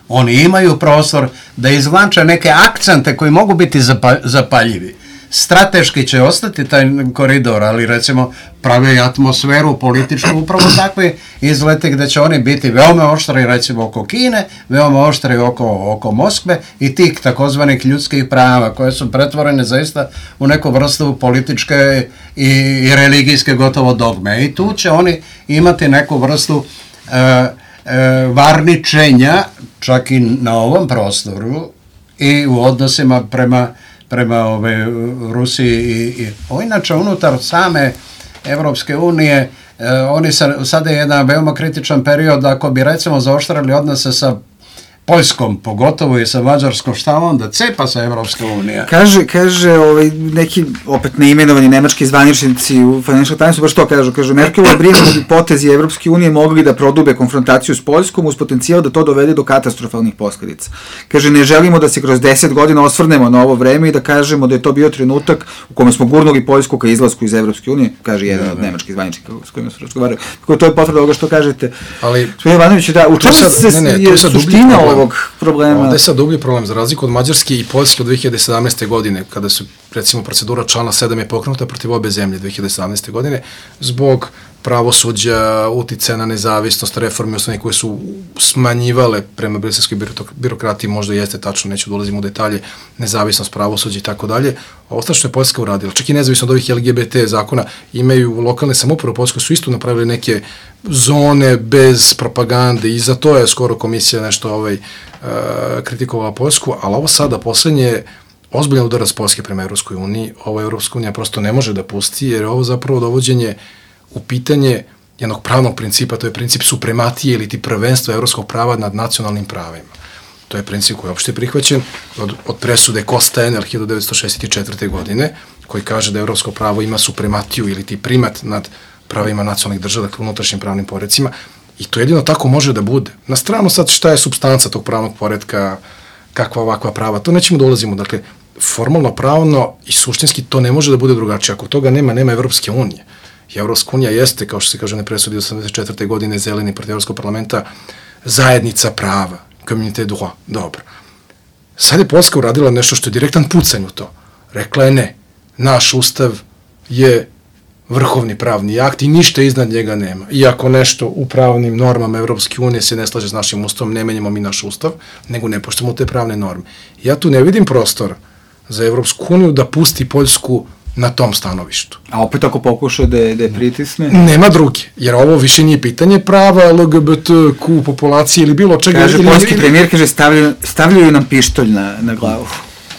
oni imaju prostor da izvlače neke akcente koji mogu biti zapaljivi. Strateški će ostati taj koridor, ali recimo pravi atmosferu političku upravo takvi izleti gde će oni biti veoma oštri recimo oko Kine, veoma oštri oko, oko Moskve i tih takozvanih ljudskih prava koje su pretvorene zaista u neku vrstu političke i, i religijske gotovo dogme. I tu će oni imati neku vrstu e, e, varničenja čak i na ovom prostoru i u odnosima prema prema ove Rusiji i, i o, inače unutar same Evropske unije e, oni sa, sada je jedan veoma kritičan period ako bi recimo zaoštrali odnose sa Poljskom, pogotovo i sa Mađarskom, šta onda cepa sa Evropska unija? Kaže, kaže ovaj, neki opet neimenovani nemački zvaničnici u Financial Timesu, baš to kažu, kaže, Merkelova brine da bi potezi Evropske unije mogli da prodube konfrontaciju s Poljskom uz potencijal da to dovede do katastrofalnih posledica. Kaže, ne želimo da se kroz deset godina osvrnemo na ovo vreme i da kažemo da je to bio trenutak u kome smo gurnuli Poljsku ka izlasku iz Evropske unije, kaže jedan od nemačkih zvaničnika s kojima su razgovarali. Tako to je potvrda ovoga što kažete. Ali, Ivanović, da, u čemu se ne, ne, je suština ovog problema? Ovde je sad dublji problem, za razliku od Mađarske i Poljske od dve hiljade sedamnaeste. godine, kada su, recimo, procedura člana sedam je pokrenuta protiv obe zemlje dve hiljade sedamnaeste. godine, zbog pravosuđa, uticaja na nezavisnost, reforme osnovne koje su smanjivale prema briselskoj birokratiji, možda jeste tačno, neću da ulazim u detalje, nezavisnost pravosuđa i tako dalje. Ostalo što je Poljska uradila, čak i nezavisno od ovih L G B T zakona, imaju lokalne samouprave u Poljskoj su isto napravili neke zone bez propagande i za to je skoro komisija nešto ovaj, uh, kritikovala Poljsku, ali ovo sada poslednje ozbiljan udarac Poljske prema Evropskoj uniji, ovo Evropska unija prosto ne može da pusti, jer je ovo zapravo dovođenje u pitanje jednog pravnog principa, to je princip suprematije ili ti prvenstva evropskog prava nad nacionalnim pravima. To je princip koji je opšte prihvaćen od, od presude Costa-Enel hiljadu devetsto šezdeset četvrte. godine, koji kaže da evropsko pravo ima suprematiju ili ti primat nad pravima nacionalnih država, dakle unutrašnjim pravnim poredcima, i to jedino tako može da bude. Na stranu sad šta je supstanca tog pravnog poredka, kakva ovakva prava, to nećemo da ulazimo, dakle, formalno, pravno i suštinski to ne može da bude drugačije. Ako toga nema, nema Evropske unije. I Evropska unija jeste, kao što se kaže, ne presudi osamdeset četvrte. godine zeleni protiv Evropskog parlamenta, zajednica prava, communauté droit, dobro. Sad je Poljska uradila nešto što je direktan pucanj u to. Rekla je ne, naš ustav je vrhovni pravni akt i ništa iznad njega nema. I ako nešto u pravnim normama Evropske unije se ne slaže s našim ustavom, ne menjamo mi naš ustav, nego ne poštujemo te pravne norme. Ja tu ne vidim prostora za Evropsku uniju da pusti Poljsku na tom stanovištu. A opet ako pokuša da je, da je pritisne? Nema druge, jer ovo više nije pitanje prava L G B T Q populacije ili bilo čega. Kaže, ili, poljski ili, premijer kaže, stavljaju, stavljaju nam pištolj na, na glavu.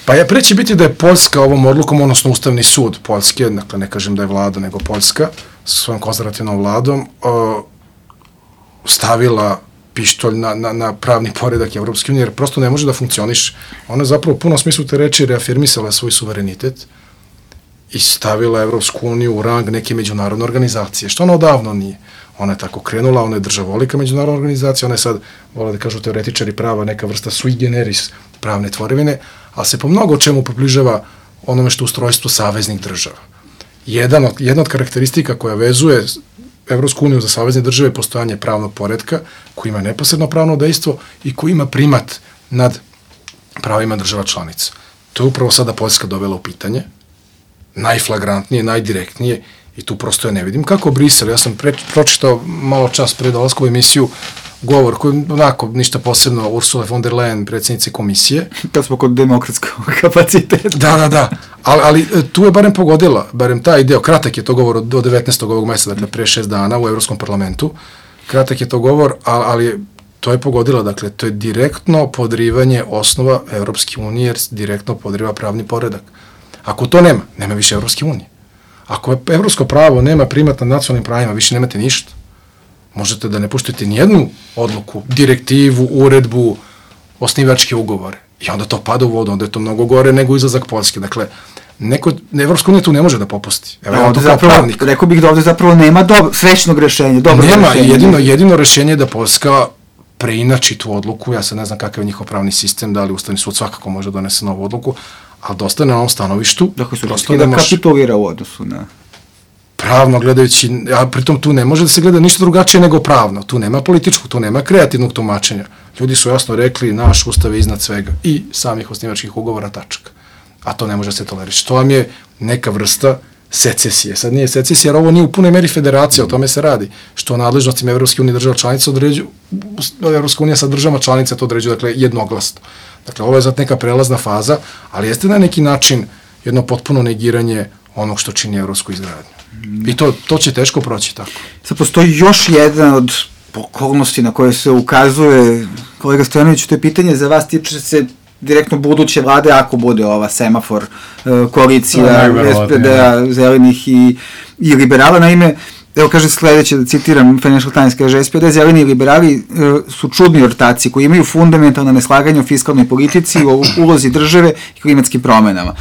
Pa ja preći biti da je Poljska ovom odlukom, odnosno Ustavni sud Poljske, dakle ne kažem da je vlada, nego Poljska, sa svojom konzervativnom vladom, o, stavila pištolj na, na, na pravni poredak Evropske unije, jer prosto ne može da funkcioniše. Ona je zapravo u punom smislu te reči reafirmisala svoj suverenitet i stavila Evropsku uniju u rang neke međunarodne organizacije, što ona odavno nije. Ona je tako krenula, ona je državolika međunarodna organizacija, ona je sad, vole da kažu teoretičari prava, neka vrsta sui generis pravne tvorevine, ali se po mnogo čemu približava onome što ustrojstvo saveznih država. Jedan od, jedna od karakteristika koja vezuje Evropsku uniju za savezne države je postojanje pravnog poretka koji ima neposredno pravno dejstvo i koji ima primat nad pravima država članica. To je upravo sada Poljska dovela u pitanje, najflagrantnije, najdirektnije, i tu prosto ja ne vidim kako Brisel. Ja sam pre, pročitao malo čas pre dolaska u emisiju govor koji onako ništa posebno Ursula von der Leyen, predsjednice komisije. Kad smo kod demokratskog kapaciteta. Da, da, da. Ali, ali tu je barem pogodila, barem taj deo, kratak je to govor do devetnaestog ovog meseca, dakle pre šest dana u Evropskom parlamentu. Kratak je to govor, ali, ali to je pogodila, dakle to je direktno podrivanje osnova Evropske unije, jer direktno podriva pravni poredak. Ako to nema, nema više Evropske unije. Ako evropsko pravo nema primat nad nacionalnim pravima, više nemate ništa. Možete da ne poštujete nijednu odluku, direktivu, uredbu, osnivačke ugovore. I onda to pada u vodu, onda je to mnogo gore nego izlazak Poljske. Dakle, neko, Evropska unija tu ne može da popusti. Evo, ja to kao pravnik. Rekao bih da ovde zapravo nema dobro, srećnog rešenja, dobro nema, rešenja. Jedino, jedino rešenje je da Poljska preinači tu odluku. Ja sad ne znam kakav je njihov pravni sistem, da li Ustavni sud svakako može donese novu odluku, ali dosta na ovom stanovištu. Dakle, su da, da kapitulira u odnosu na... Pravno gledajući, a pritom tu ne može da se gleda ništa drugačije nego pravno. Tu nema političkog, tu nema kreativnog tumačenja. Ljudi su jasno rekli, naš ustav je iznad svega i samih osnivačkih ugovora, tačka. A to ne može se tolerisati. To vam je neka vrsta secesije. Sad nije secesija, jer ovo nije u punoj meri federacija, o tome se radi. Što o nadležnostima Evropske unije država članica određuju, Evropska unija sa državama članica to određuje, dakle, jednoglasno. Dakle, ovo je zato neka prelazna faza, ali jeste na neki način jedno potpuno negiranje onog što čini evropsku izgradnju. I to, to će teško proći tako. Sad postoji još jedan od okolnosti na koje se ukazuje, kolega Stojanović, to je pitanje za vas, tiče se direktno buduće vlade, ako bude ova semafor koalicija S P D-a, zelenih i, i liberala. Naime, evo kaže sledeće, da citiram Financial Times, kaže S P D, zeleni i liberali su čudni ortaci koji imaju fundamentalna neslaganja o fiskalnoj politici, o ulozi države i klimatskim promenama.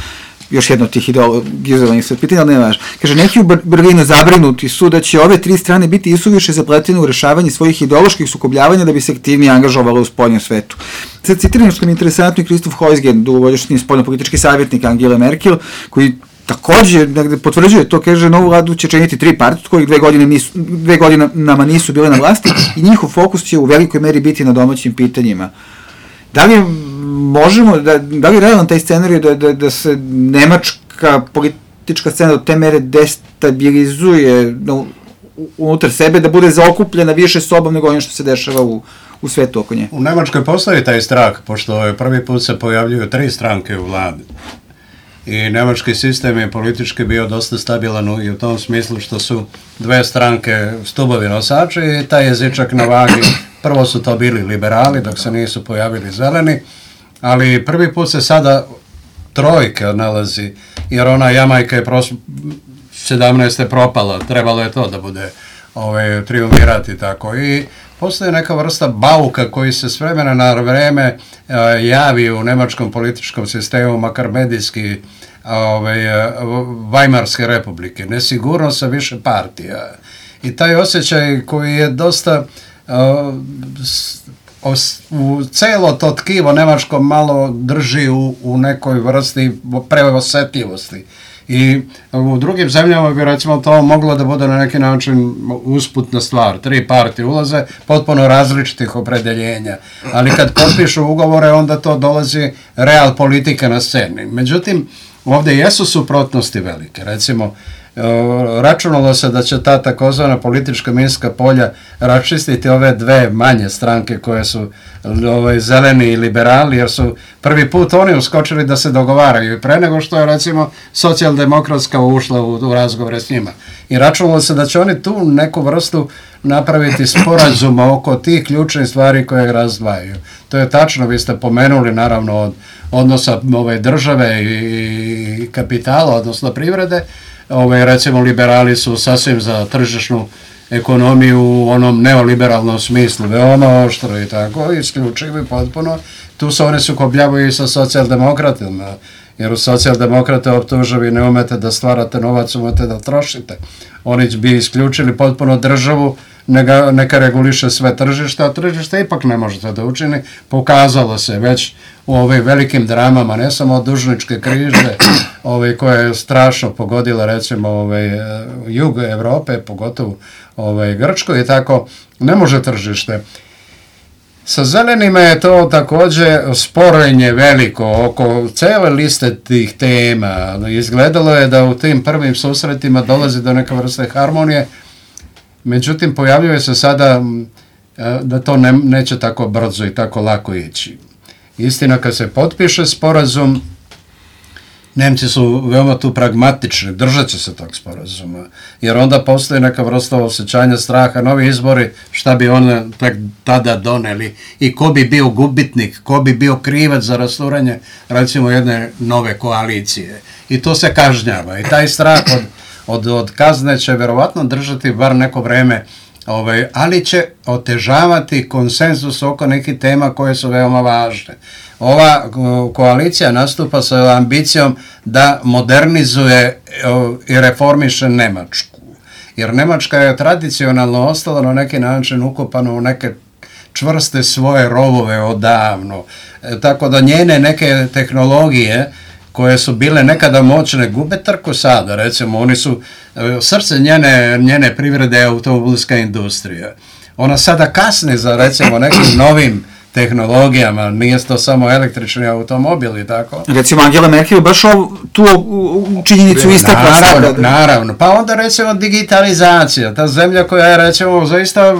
Još jedno od tih ideologizovanih sve pitanja, ali ne važno. Kaže, neki u Berlinu zabrinuti su da će ove tri strane biti isuviše zapletene u rešavanju svojih ideoloških sukobljavanja da bi se aktivnije angažovalo u spoljnom svetu. Sad citiram što mi je interesantno i Kristof Heusgen, dugogodišnji spoljnopolitički savjetnik Angele Merkel, koji takođe negde potvrđuje to, kaže, novu vladu će činiti tri partije, kojih dve godine nisu, dve godinama nisu bile na vlasti i njihov fokus će u velikoj meri biti na domaćim pitanjima. Da li možemo, da, da li je realan taj scenarij da, da, da se nemačka politička scena do te mere destabilizuje no, unutar sebe, da bude zaokupljena više sobom nego ono što se dešava u, u svetu oko nje? U Nemačkoj postoji taj strah, pošto je prvi put se pojavljuju tri stranke u vladi. I nemački sistem je politički bio dosta stabilan i u tom smislu što su dve stranke stubovi nosači i taj jezičak na vagi. Prvo su to bili liberali dok se nisu pojavili zeleni, ali prvi put se sada trojka nalazi, jer ona Jamajka je pros... sedamnaeste propala, trebalo je to da bude ove, triumvirati tako. I postoji neka vrsta bauka koji se s vremena na vreme e, javi u nemačkom političkom sistemu, makar medijski, ove, Vajmarske republike, nesigurnost sa više partija. I taj osjećaj koji je dosta uh, u celo to tkivo nemačko malo drži u, u nekoj vrsti preosetljivosti. I u drugim zemljama bi recimo to moglo da bude na neki način usputna stvar. Tri partije ulaze, potpuno različitih opredeljenja. Ali kad potpišu ugovore, onda to dolazi real politika na sceni. Međutim, ovdje jesu suprotnosti velike. Recimo, računalo se da će ta takozvana politička minska polja raščistiti ove dve manje stranke koje su ovaj, zeleni i liberali, jer su prvi put oni uskočili da se dogovaraju i pre nego što je recimo socijaldemokratska ušla u, u razgovore s njima. I računalo se da će oni tu neku vrstu napraviti sporazuma oko tih ključnih stvari koje razdvajaju. To je tačno, vi ste pomenuli naravno od odnosa ove države i, i kapitala, odnosno privrede. Ove, recimo liberali su sasvim za tržišnu ekonomiju u onom neoliberalnom smislu, veoma oštro i tako, isključivo i potpuno. Tu se oni sukobljavaju i sa socijaldemokratima, jer u socijaldemokrate optužuju ne umete da stvarate novac, umete da trošite. Oni bi isključili potpuno državu, neka, neka reguliše sve tržište, a tržište ipak ne možete da učini. Pokazalo se već u ovim velikim dramama, ne samo dužničke krize, ove, koja je strašno pogodila recimo ove, jug Evrope, pogotovo ove, Grčko i tako, ne može tržište. Sa zelenima je to također sporenje veliko oko cele liste tih tema. Izgledalo je da u tim prvim susretima dolazi do neke vrste harmonije, međutim pojavljuje se sada da to ne, neće tako brzo i tako lako ići. Istina, kad se potpiše sporazum, Nemci su veoma tu pragmatični, držat će se tog sporazuma, jer onda postoji neka vrsta osjećanja straha, novi izbori, šta bi one tak tada doneli i ko bi bio gubitnik, ko bi bio krivac za rasturanje, recimo, jedne nove koalicije. I to se kažnjava i taj strah od, od, od kazne će verovatno držati bar neko vreme, ovaj, ali će otežavati konsenzus oko nekih tema koje su veoma važne. Ova koalicija nastupa sa ambicijom da modernizuje i reformiše Nemačku. Jer Nemačka je tradicionalno ostala na neki način ukopana u neke čvrste svoje rovove odavno. E, tako da njene neke tehnologije koje su bile nekada moćne gube trku sada. Recimo, oni su, srce njene, njene privrede je automobilska industrija. Ona sada kasni za recimo nekim novim tehnologijama, nije to samo električni automobili, tako? Recimo, Angela Merkel baš ovu, tu činjenicu istakla naravno, sada. Naravno, pa onda recimo digitalizacija, ta zemlja koja je recimo zaista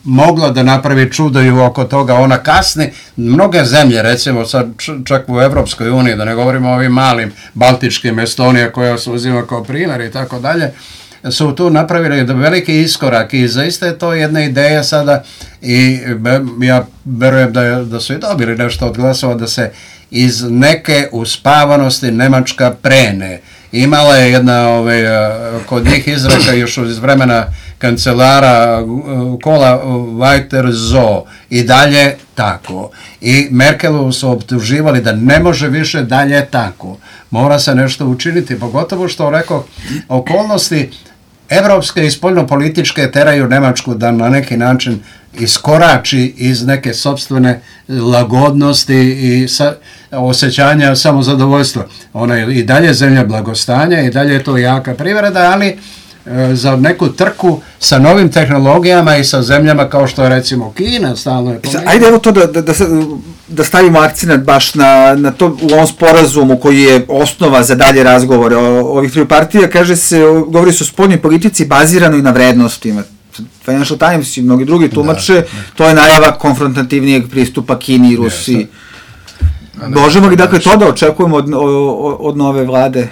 mogla da napravi čudo i oko toga, ona kasni, mnoge zemlje, recimo sad čak u Evropskoj uniji, da ne govorimo o ovim malim baltičkim, Estonija koja se uzima kao primjer i tako dalje, su tu napravili veliki iskorak i zaista je to jedna ideja sada i ja verujem da, je, da su i dobili nešto od glasova da se iz neke uspavanosti Nemačka prene. Imala je jedna ove, kod njih izreka još iz vremena kancelara Kola Weiter so i dalje tako. I Merkelu su optuživali da ne može više dalje tako. Mora se nešto učiniti, pogotovo što rekao okolnosti evropske i spoljnopolitičke teraju Nemačku da na neki način iskorači iz neke sopstvene lagodnosti i sa, osjećanja samozadovoljstva. Ona je i dalje zemlja blagostanja, i dalje je to jaka privreda, ali e, za neku trku sa novim tehnologijama i sa zemljama kao što je recimo Kina stalno je pomenula. Ajde evo to da, da, da, da stavimo akcent baš na, na to u ovom sporazumu koji je osnova za dalje razgovore o ovih tri partija, kaže se, govori se o spoljnoj politici bazirano i na vrednostima. Financial Times i mnogi drugi tumače, da, da. To je najava konfrontativnijeg pristupa Kini i Rusiji. Možemo li dakle to da očekujemo od, od, od nove vlade?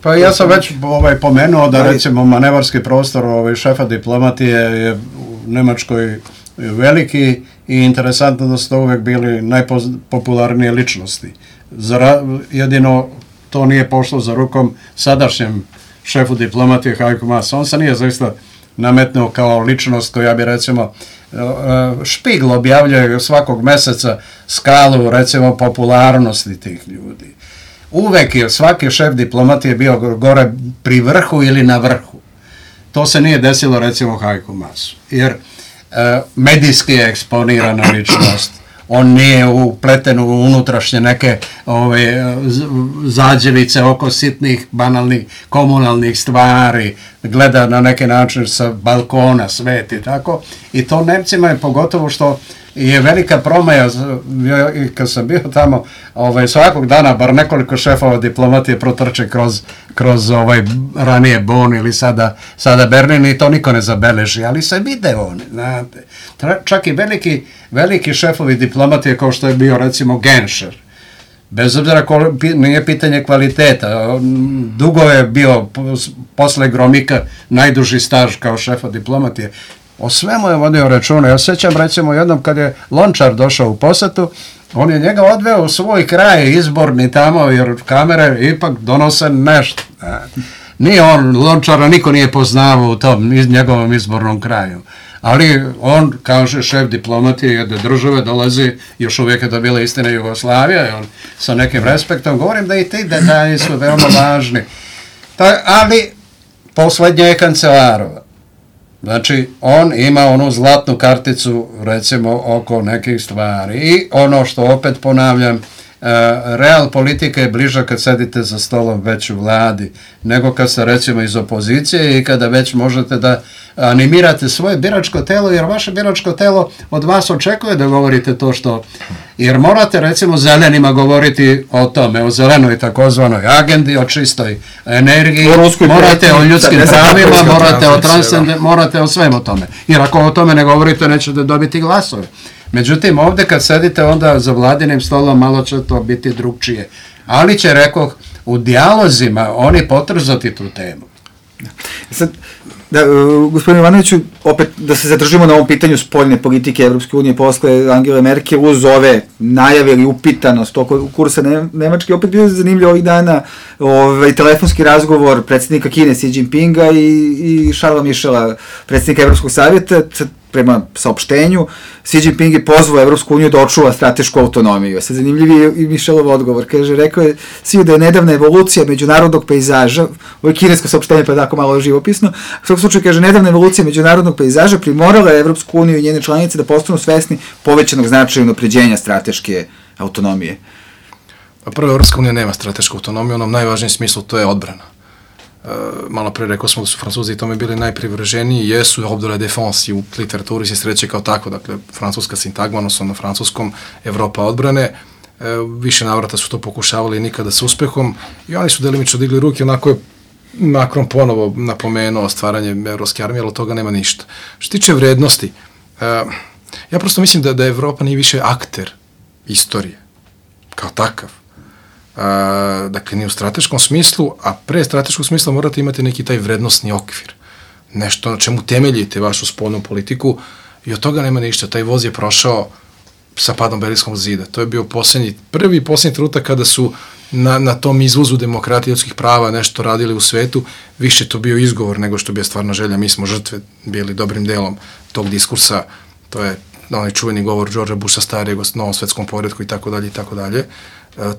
Pa ja sam već ovaj, pomenuo da recimo manevarski prostor ovaj, šefa diplomatije je u Nemačkoj veliki i interesantno da su to uvek bili najpopularnije ličnosti. Zara, jedino to nije pošlo za rukom sadašnjem šefu diplomatije Heiko Maas. On se nije zaista nametnuo kao ličnost koja bi recimo Špigl objavljuje svakog meseca skalu recimo popularnosti tih ljudi. Uvek je svaki šef diplomatije bio gore pri vrhu ili na vrhu. To se nije desilo recimo Heiko Maasu, jer e, medijski je eksponirana ličnost. on nije upleten u unutrašnje neke ove, zađevice oko sitnih, banalnih, komunalnih stvari, gleda na neki način sa balkona svet i tako. I to Nemcima je pogotovo što je velika promaja, kad sam bio tamo, ovaj, svakog dana bar nekoliko šefova diplomatije protrče kroz, kroz ovaj, ranije Bonn ili sada, sada Berlin i to niko ne zabeleži, ali se vide oni, znate. Čak i veliki, veliki šefovi diplomatije kao što je bio recimo Genscher, bez obzira ko, nije pitanje kvaliteta, dugo je bio posle Gromika najduži staž kao šefa diplomatije. O svemu je vodio računa. Ja sjećam recimo jednom kad je Lončar došao u posetu, on je njega odveo u svoj kraj izborni tamo jer kamere ipak donose nešto. Nije on, Lončara niko nije poznavao u tom iz, njegovom izbornom kraju. Ali on, kaže šef diplomatije jedne države, dolazi, još uvijek je to bila istina Jugoslavija, i on sa nekim respektom, govorim da i ti detalji su veoma važni. Ta, ali poslednje je Kancelarova. Znači, on ima onu zlatnu karticu, recimo, oko nekih stvari. I ono što opet ponavljam, real politika je bliža kad sedite za stolom već u vladi, nego kad ste recimo iz opozicije i kada već možete da animirate svoje biračko telo, jer vaše biračko telo od vas očekuje da govorite to što, jer morate recimo zelenima govoriti o tome, o zelenoj takozvanoj agendi, o čistoj energiji, morate o ljudskim pravima, morate o transcende, morate o svemu tome, jer ako o tome ne govorite nećete dobiti glasove. Međutim, ovdje kad sedite onda za vladinim stolom malo će to biti drugčije. Ali će, rekoh, u dijalozima oni potrzati tu temu. Sad, da, uh, gospodine Ivanoviću, opet da se zadržimo na ovom pitanju spoljne politike Evropske unije posle Angele Merkel uz ove najave ili upitanost oko kursa ne, Nemačke, opet bio zanimljiv ovih dana ovaj, telefonski razgovor predsjednika Kine Xi Jinpinga i, i Charlesa Michela, predsjednika Evropskog savjeta. Prema saopštenju, Xi Jinping je pozvao Evropsku uniju da očuva stratešku autonomiju. Sad zanimljiv i Michelov odgovor. Kaže, rekao je Xi da je nedavna evolucija međunarodnog pejzaža, ovo je kinesko saopštenje pa je tako malo živopisno, u svakom slučaju kaže, nedavna evolucija međunarodnog pejzaža primorala je Evropsku uniju i njene članice da postanu svesni povećanog značaja unapređenja strateške autonomije. Prvo, Evropska unija nema stratešku autonomiju, u onom najvažnijem smislu to je odbrana. Uh, malo pre rekao smo da su Francuzi i tome bili najprivrženi, jesu ordre de la défense i u literaturi se sreće kao tako, dakle, francuska sintagma, odnosno na francuskom Evropa odbrane, uh, više navrata su to pokušavali nikada s uspehom i oni su delimično digli ruke, onako je Macron ponovo napomenuo stvaranje evropske armije, ali od toga nema ništa. Što tiče vrednosti, uh, ja prosto mislim da, da Evropa nije više akter istorije, kao takav. Uh, dakle, ni u strateškom smislu, a pre strateškog smisla morate imati neki taj vrednostni okvir. Nešto na čemu temeljite vašu spoljnu politiku i od toga nema ništa. Taj voz je prošao sa padom Berlinskog zida. To je bio posljednji, prvi i posljednji trenutak kada su na, na tom izvozu demokratije i ljudskih prava nešto radili u svetu, više to bio izgovor nego što bi je stvarna želja. Mi smo žrtve bili dobrim delom tog diskursa, to je onaj čuveni govor Georgea Busha starijeg o novom svetskom poredku i tako dalje i tako dalje.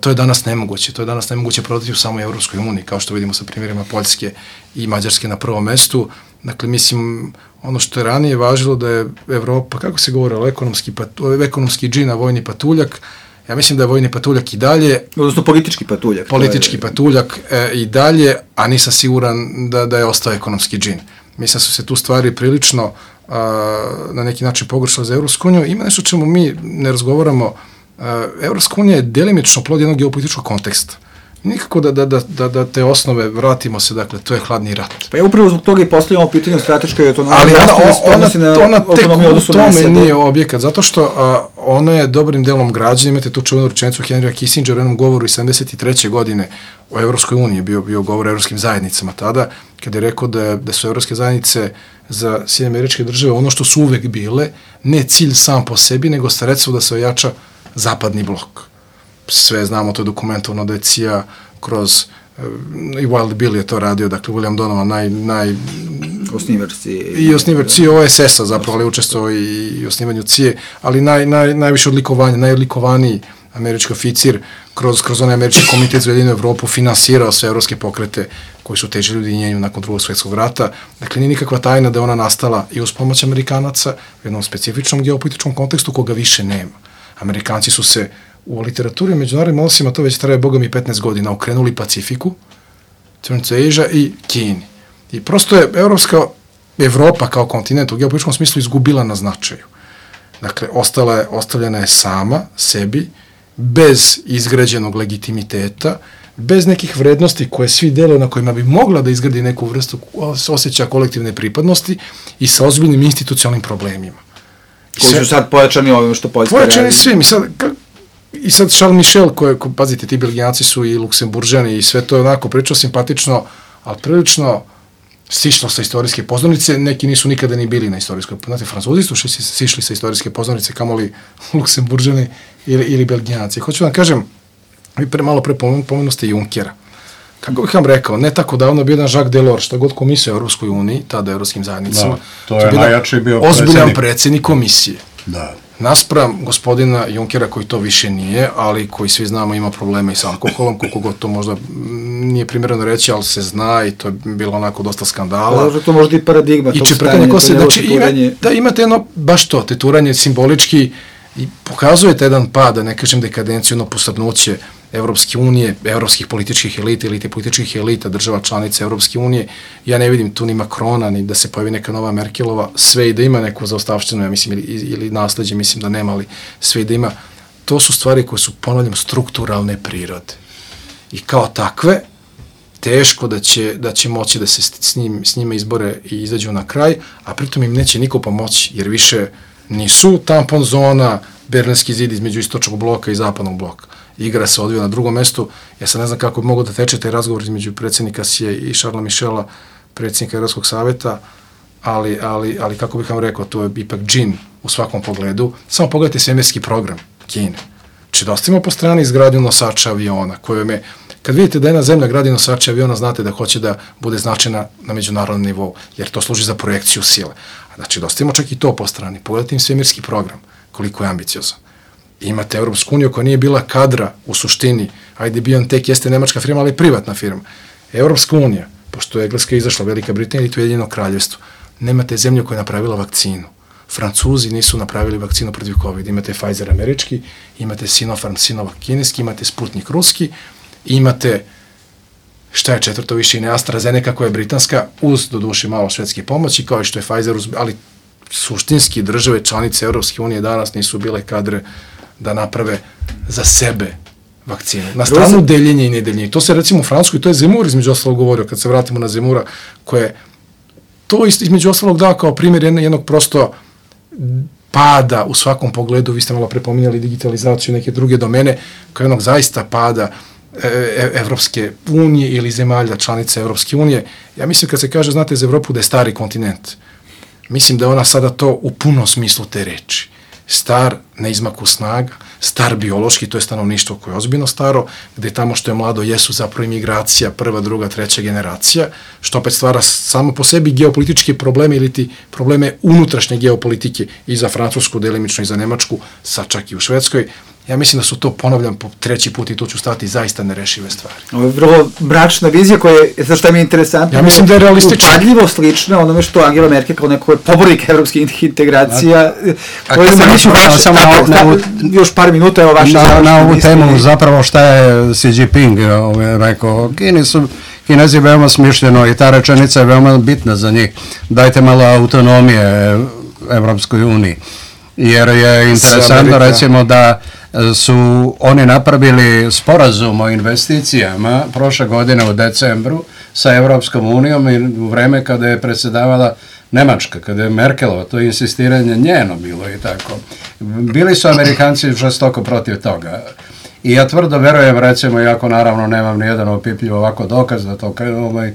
To je danas nemoguće. To je danas nemoguće prodati u samoj Evropskoj uniji, kao što vidimo sa primjerima Poljske i Mađarske na prvom mestu. Dakle, mislim, ono što je ranije važilo da je Evropa, kako se govorilo, ekonomski, patu, ekonomski džin, a vojni patuljak, ja mislim da je vojni patuljak i dalje... Odnosno politički patuljak. Politički je... patuljak e, i dalje, a nisam siguran da, da je ostao ekonomski džin. Mislim da su se tu stvari prilično a, na neki način pogoršale za Evropsku uniju. Ima nešto čemu mi ne razgovaramo. Evropska unija je delimično plod jednog geopolitičkog konteksta. Nikako da, da, da, da te osnove vratimo se, dakle, to je hladni rat. Pa je upravo zbog toga i postavljamo pitanje o strateškoj autonomiji. Ali ona, ona, ona tek u tome nije objekat, zato što a, ona je dobrim delom građana. Imate tu čuvenu rečenicu Henrya Kissingera u jednom govoru iz sedamdeset treće godine o Evropskoj uniji, bio, bio govor o evropskim zajednicama tada, kada je rekao da, da su evropske zajednice za Sjedinjene Američke Države ono što su uvek bile, ne cilj sam po sebi, nego sredstvo da se ojača zapadni blok. Sve znamo, to je dokumentovano da je C I A kroz, i Wild Bill je to radio, dakle, William Donovan, naj... naj osnivač C I A. I osnivač C I A O S S-a zapravo, ali učestvovao i, i osnivanju C I A, ali naj, naj, najviše odlikovanje, najodlikovaniji američki oficir kroz, kroz onaj američki komitet za Ujedinjenu Evropu finansirao sve evropske pokrete koji su težili ujedinjenju nakon Drugog svjetskog rata. Dakle, nije nikakva tajna da je ona nastala i uz pomoć Amerikanaca u jednom specifičnom geopolitičkom kontekstu koga više nema. Amerikanci su se u literaturi i međunarodnim odnosima, to već traje boga mi petnaest godina, okrenuli Pacifiku, Central Asia i Kini. I prosto je Evropska, Evropa kao kontinent u geopolitičkom smislu izgubila na značaju. Dakle, ostala je, ostavljena je sama sebi, bez izgrađenog legitimiteta, bez nekih vrednosti koje svi deluju na kojima bi mogla da izgradi neku vrstu osjećaja kolektivne pripadnosti i sa ozbiljnim institucionalnim problemima. I koji su sad pojačani ovim što Poljska radi. Pojačani svim. I sad, i sad Charles Michel, koje, ko, pazite, ti Belgijanci su i Luksemburžani i sve to je onako pričao simpatično, ali prilično sišlo sa istorijske pozornice, neki nisu nikada ni bili na istorijskoj, znate, Francuzi su sišli sa istorijske pozornice, kamoli Luksemburžani ili, ili Belgijanci. Hoću vam kažem, vi pre, malo pre pomenu ste Junckera. Kako bih vam rekao, ne tako davno bio jedan Jacques Delors, šta god komisija u Europskoj uniji, tada Europskim zajednicama. Da, to je najjači bio ozbiljan predsjednik. predsjednik komisije. Da. Naspram gospodina Junckera koji to više nije, ali koji svi znamo ima probleme i sa alkoholom, koliko god to možda nije primjereno reći, ali se zna i to je bilo onako dosta skandala. Da, to možda i paradigma. I čeprkanje kose, znači ima, da imate jedno, baš to, teturanje simbolički i pokazujete jedan pad, da ne kažem dekadenciju, jedno posrnuće Evropske unije, evropskih političkih elita, elite političkih elita, država članica Evropske unije. Ja ne vidim tu ni Makrona, ni da se pojavi neka nova Merkelova, sve i da ima neku zaostavštinu, ja mislim, ili, ili nasleđe, mislim da nema, ali sve i da ima. To su stvari koje su, ponavljam, strukturalne prirode. I kao takve, teško da će, da će moći da se s, njim, s njima izbore i izađu na kraj, a pritom im neće niko pomoći, jer više nisu tampon zona, Berlinski zid između istočnog bloka i zapadnog bloka. Igra se odvija na drugom mestu. Ja sad ne znam kako bi mogo da teče taj razgovor između predsjednika Sije i Charlesa Michela, predsjednika Evropskog saveta, ali, ali, ali kako bih vam rekao, to je ipak džin u svakom pogledu. Samo pogledajte svemirski program Kine. Či da ostavimo po strani izgradnju nosača aviona, koje je, kad vidite da jedna zemlja gradi nosača aviona, znate da hoće da bude značajna na međunarodnom nivou, jer to služi za projekciju sile. Znači, da ostavimo čak i to po strani. Pogledajte im svemirski program, koliko je ambiciozan. Imate Evropsku uniju koja nije bila kadra u suštini, ajde BioNTech jeste nemačka firma, ali privatna firma. Evropska unija, pošto je Engleska izašla, Velika Britanija i to je Ujedinjeno kraljevstvo, nemate zemlju koja je napravila vakcinu. Francuzi nisu napravili vakcinu protiv COVID. Imate Pfizer američki, imate Sinopharm Sinovac kineski, imate Sputnik ruski, imate, šta je četvrto više, i ne AstraZeneca koja je britanska, uz doduše malo švedske pomoći, kao i što je Pfizer, ali suštinski države članice Evropske unije danas nisu bile kadre da naprave za sebe vakcine. Na stranu deljenje i nedeljenje. To se recimo u Francuskoj, to je Zemur između ostalog govorio, kad se vratimo na Zemura, koje to između ostalog dao kao primjer jednog prosto pada u svakom pogledu, vi ste malo prepominjali digitalizaciju i neke druge domene, kao jednog zaista pada e, Evropske unije ili zemalja članice Evropske unije. Ja mislim kad se kaže, znate, za Evropu da je stari kontinent, mislim da je ona sada to u punom smislu te reči. Star na izmaku snaga, star biološki, to je stanovništvo koje je ozbiljno staro, gde tamo što je mlado jesu zapravo imigracija, prva, druga, treća generacija, što opet stvara samo po sebi geopolitičke probleme ili ti probleme unutrašnje geopolitike i za Francusku, delimično i za Nemačku, sad čak i u Švedskoj. Ja mislim da su to, ponavljam po treći put i tu ću stati, zaista nerešive stvari. Ovo je vrlo mračna vizija koja je, znaš šta mi je interesantno, ja mislim da je realistično. Upadljivo slična onome što Angela Merkel kao neko pobornik evropskih integracija. A samo još par minuta, evo vaše završne. Na ovu temu zapravo šta je Xi Jinping rekao, Kini su Kinezi veoma smišljeno i ta rečenica je veoma bitna za njih. Dajte malo autonomije Evropskoj uniji. Jer je interesantno recimo da su oni napravili sporazum o investicijama prošle godine u decembru sa Evropskom unijom i u vreme kada je predsjedavala Nemačka, kada je Merkelova, to insistiranje njeno bilo i tako. Bili su Amerikanci žestoko protiv toga. I ja tvrdo verujem, recimo, iako naravno nemam nijedan opipljiv ovako dokaz da to ovaj,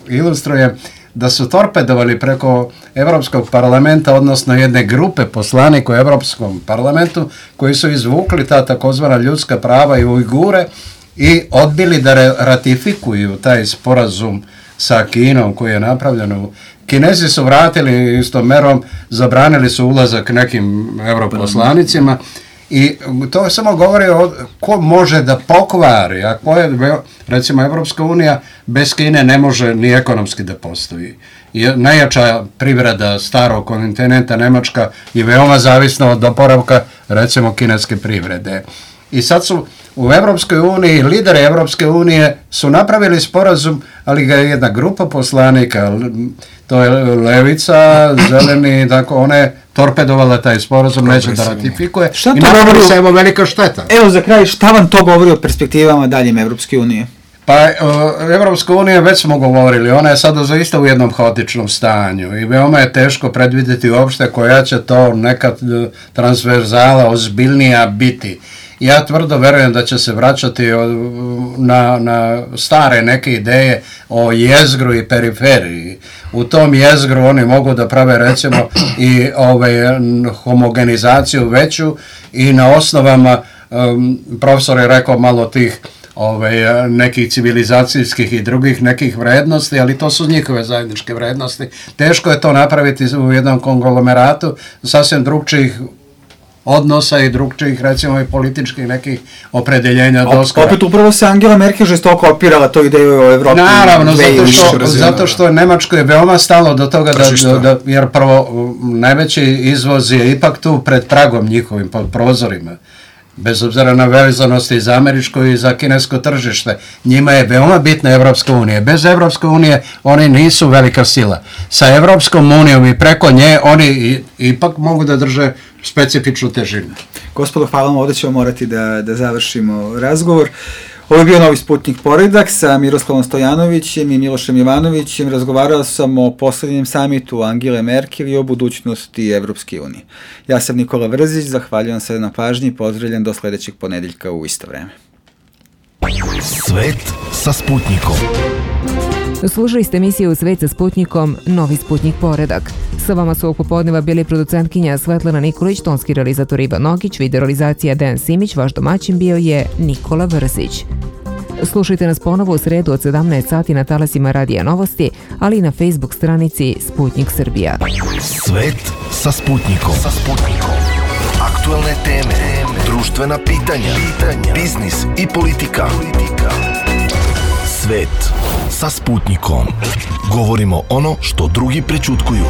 ilustrujem, da su torpedovali preko Evropskog parlamenta, odnosno jedne grupe poslanika u Evropskom parlamentu, koji su izvukli ta takozvana ljudska prava i Ujgure i odbili da ratifikuju taj sporazum sa Kinom koji je napravljen. Kinezi su vratili istom merom, zabranili su ulazak nekim europoslanicima i to samo govori o ko može da pokvari, a ko je, recimo, Evropska unija bez Kine ne može ni ekonomski da postoji. najjača privreda starog kontinenta Nemačka je veoma zavisna od oporavka recimo kineske privrede. I sad su u Evropskoj uniji, lideri Evropske unije su napravili sporazum, ali ga je jedna grupa poslanika, to je Levica, Zeleni, tako ona je torpedovala taj sporazum, neće da ratifikuje. Šta i napravi se evo velika šteta. Evo za kraj, šta vam to govori o perspektivama daljim Evropske unije? Pa, Evropska unija, već smo govorili, ona je sada zaista u jednom haotičnom stanju i veoma je teško predvidjeti uopšte koja će to neka transverzala ozbiljnija biti. Ja tvrdo verujem da će se vraćati na, na stare neke ideje o jezgru i periferiji. U tom jezgru oni mogu da prave recimo i ovaj, homogenizaciju veću i na osnovama, um, profesor je rekao malo tih ovaj, nekih civilizacijskih i drugih nekih vrednosti, ali to su njihove zajedničke vrednosti. Teško je to napraviti u jednom konglomeratu sasvim drugčijih odnosa i drugčijih, recimo i političkih nekih opredeljenja doskora. Opet upravo se Angela Merkel žestoko opirala to ideju o Evropi. Naravno, zato što, zato što Nemačko je veoma stalo do toga da, da, jer prvo najveći izvoz je ipak tu pred pragom njihovim, pod prozorima. Bez obzira na vezanosti i za američko i za kinesko tržište. Njima je veoma bitna Evropska unija. Bez Evropske unije oni nisu velika sila. Sa Evropskom unijom i preko nje oni i, ipak mogu da drže specifičnu težinu. Gospodo, hvala vam, ovdje ćemo morati da, da završimo razgovor. Ovo je bio Novi Sputnik Poredak sa Miroslavom Stojanovićem i Milošem Jovanovićem. Razgovarao sam o posljednjem samitu Angele Merkel i o budućnosti Evropske unije. Ja sam Nikola Vrzić, zahvaljujem se na pažnji i pozdravljam do sljedećeg ponedeljka u isto vreme. Svet sa Sputnikom. Slušali ste emisiju Svet sa Sputnikom, Novi Sputnik Poredak. Sa vama su ovog popodneva bili producentkinja Svetlana Nikolić, tonski realizator Ivan Nogić, videorealizacija Dejan Simić, vaš domaćin bio je Nikola Vrzić. Slušajte nas ponovo u sredu od sedamnaest sati na talasima Radija Novosti, ali i na Facebook stranici Sputnik Srbija. Svet sa Sputnikom. Sa Sputnikom. Aktuelne teme, društvena pitanja, biznis i politika. Svet sa Sputnikom. Govorimo ono što drugi prećutkuju.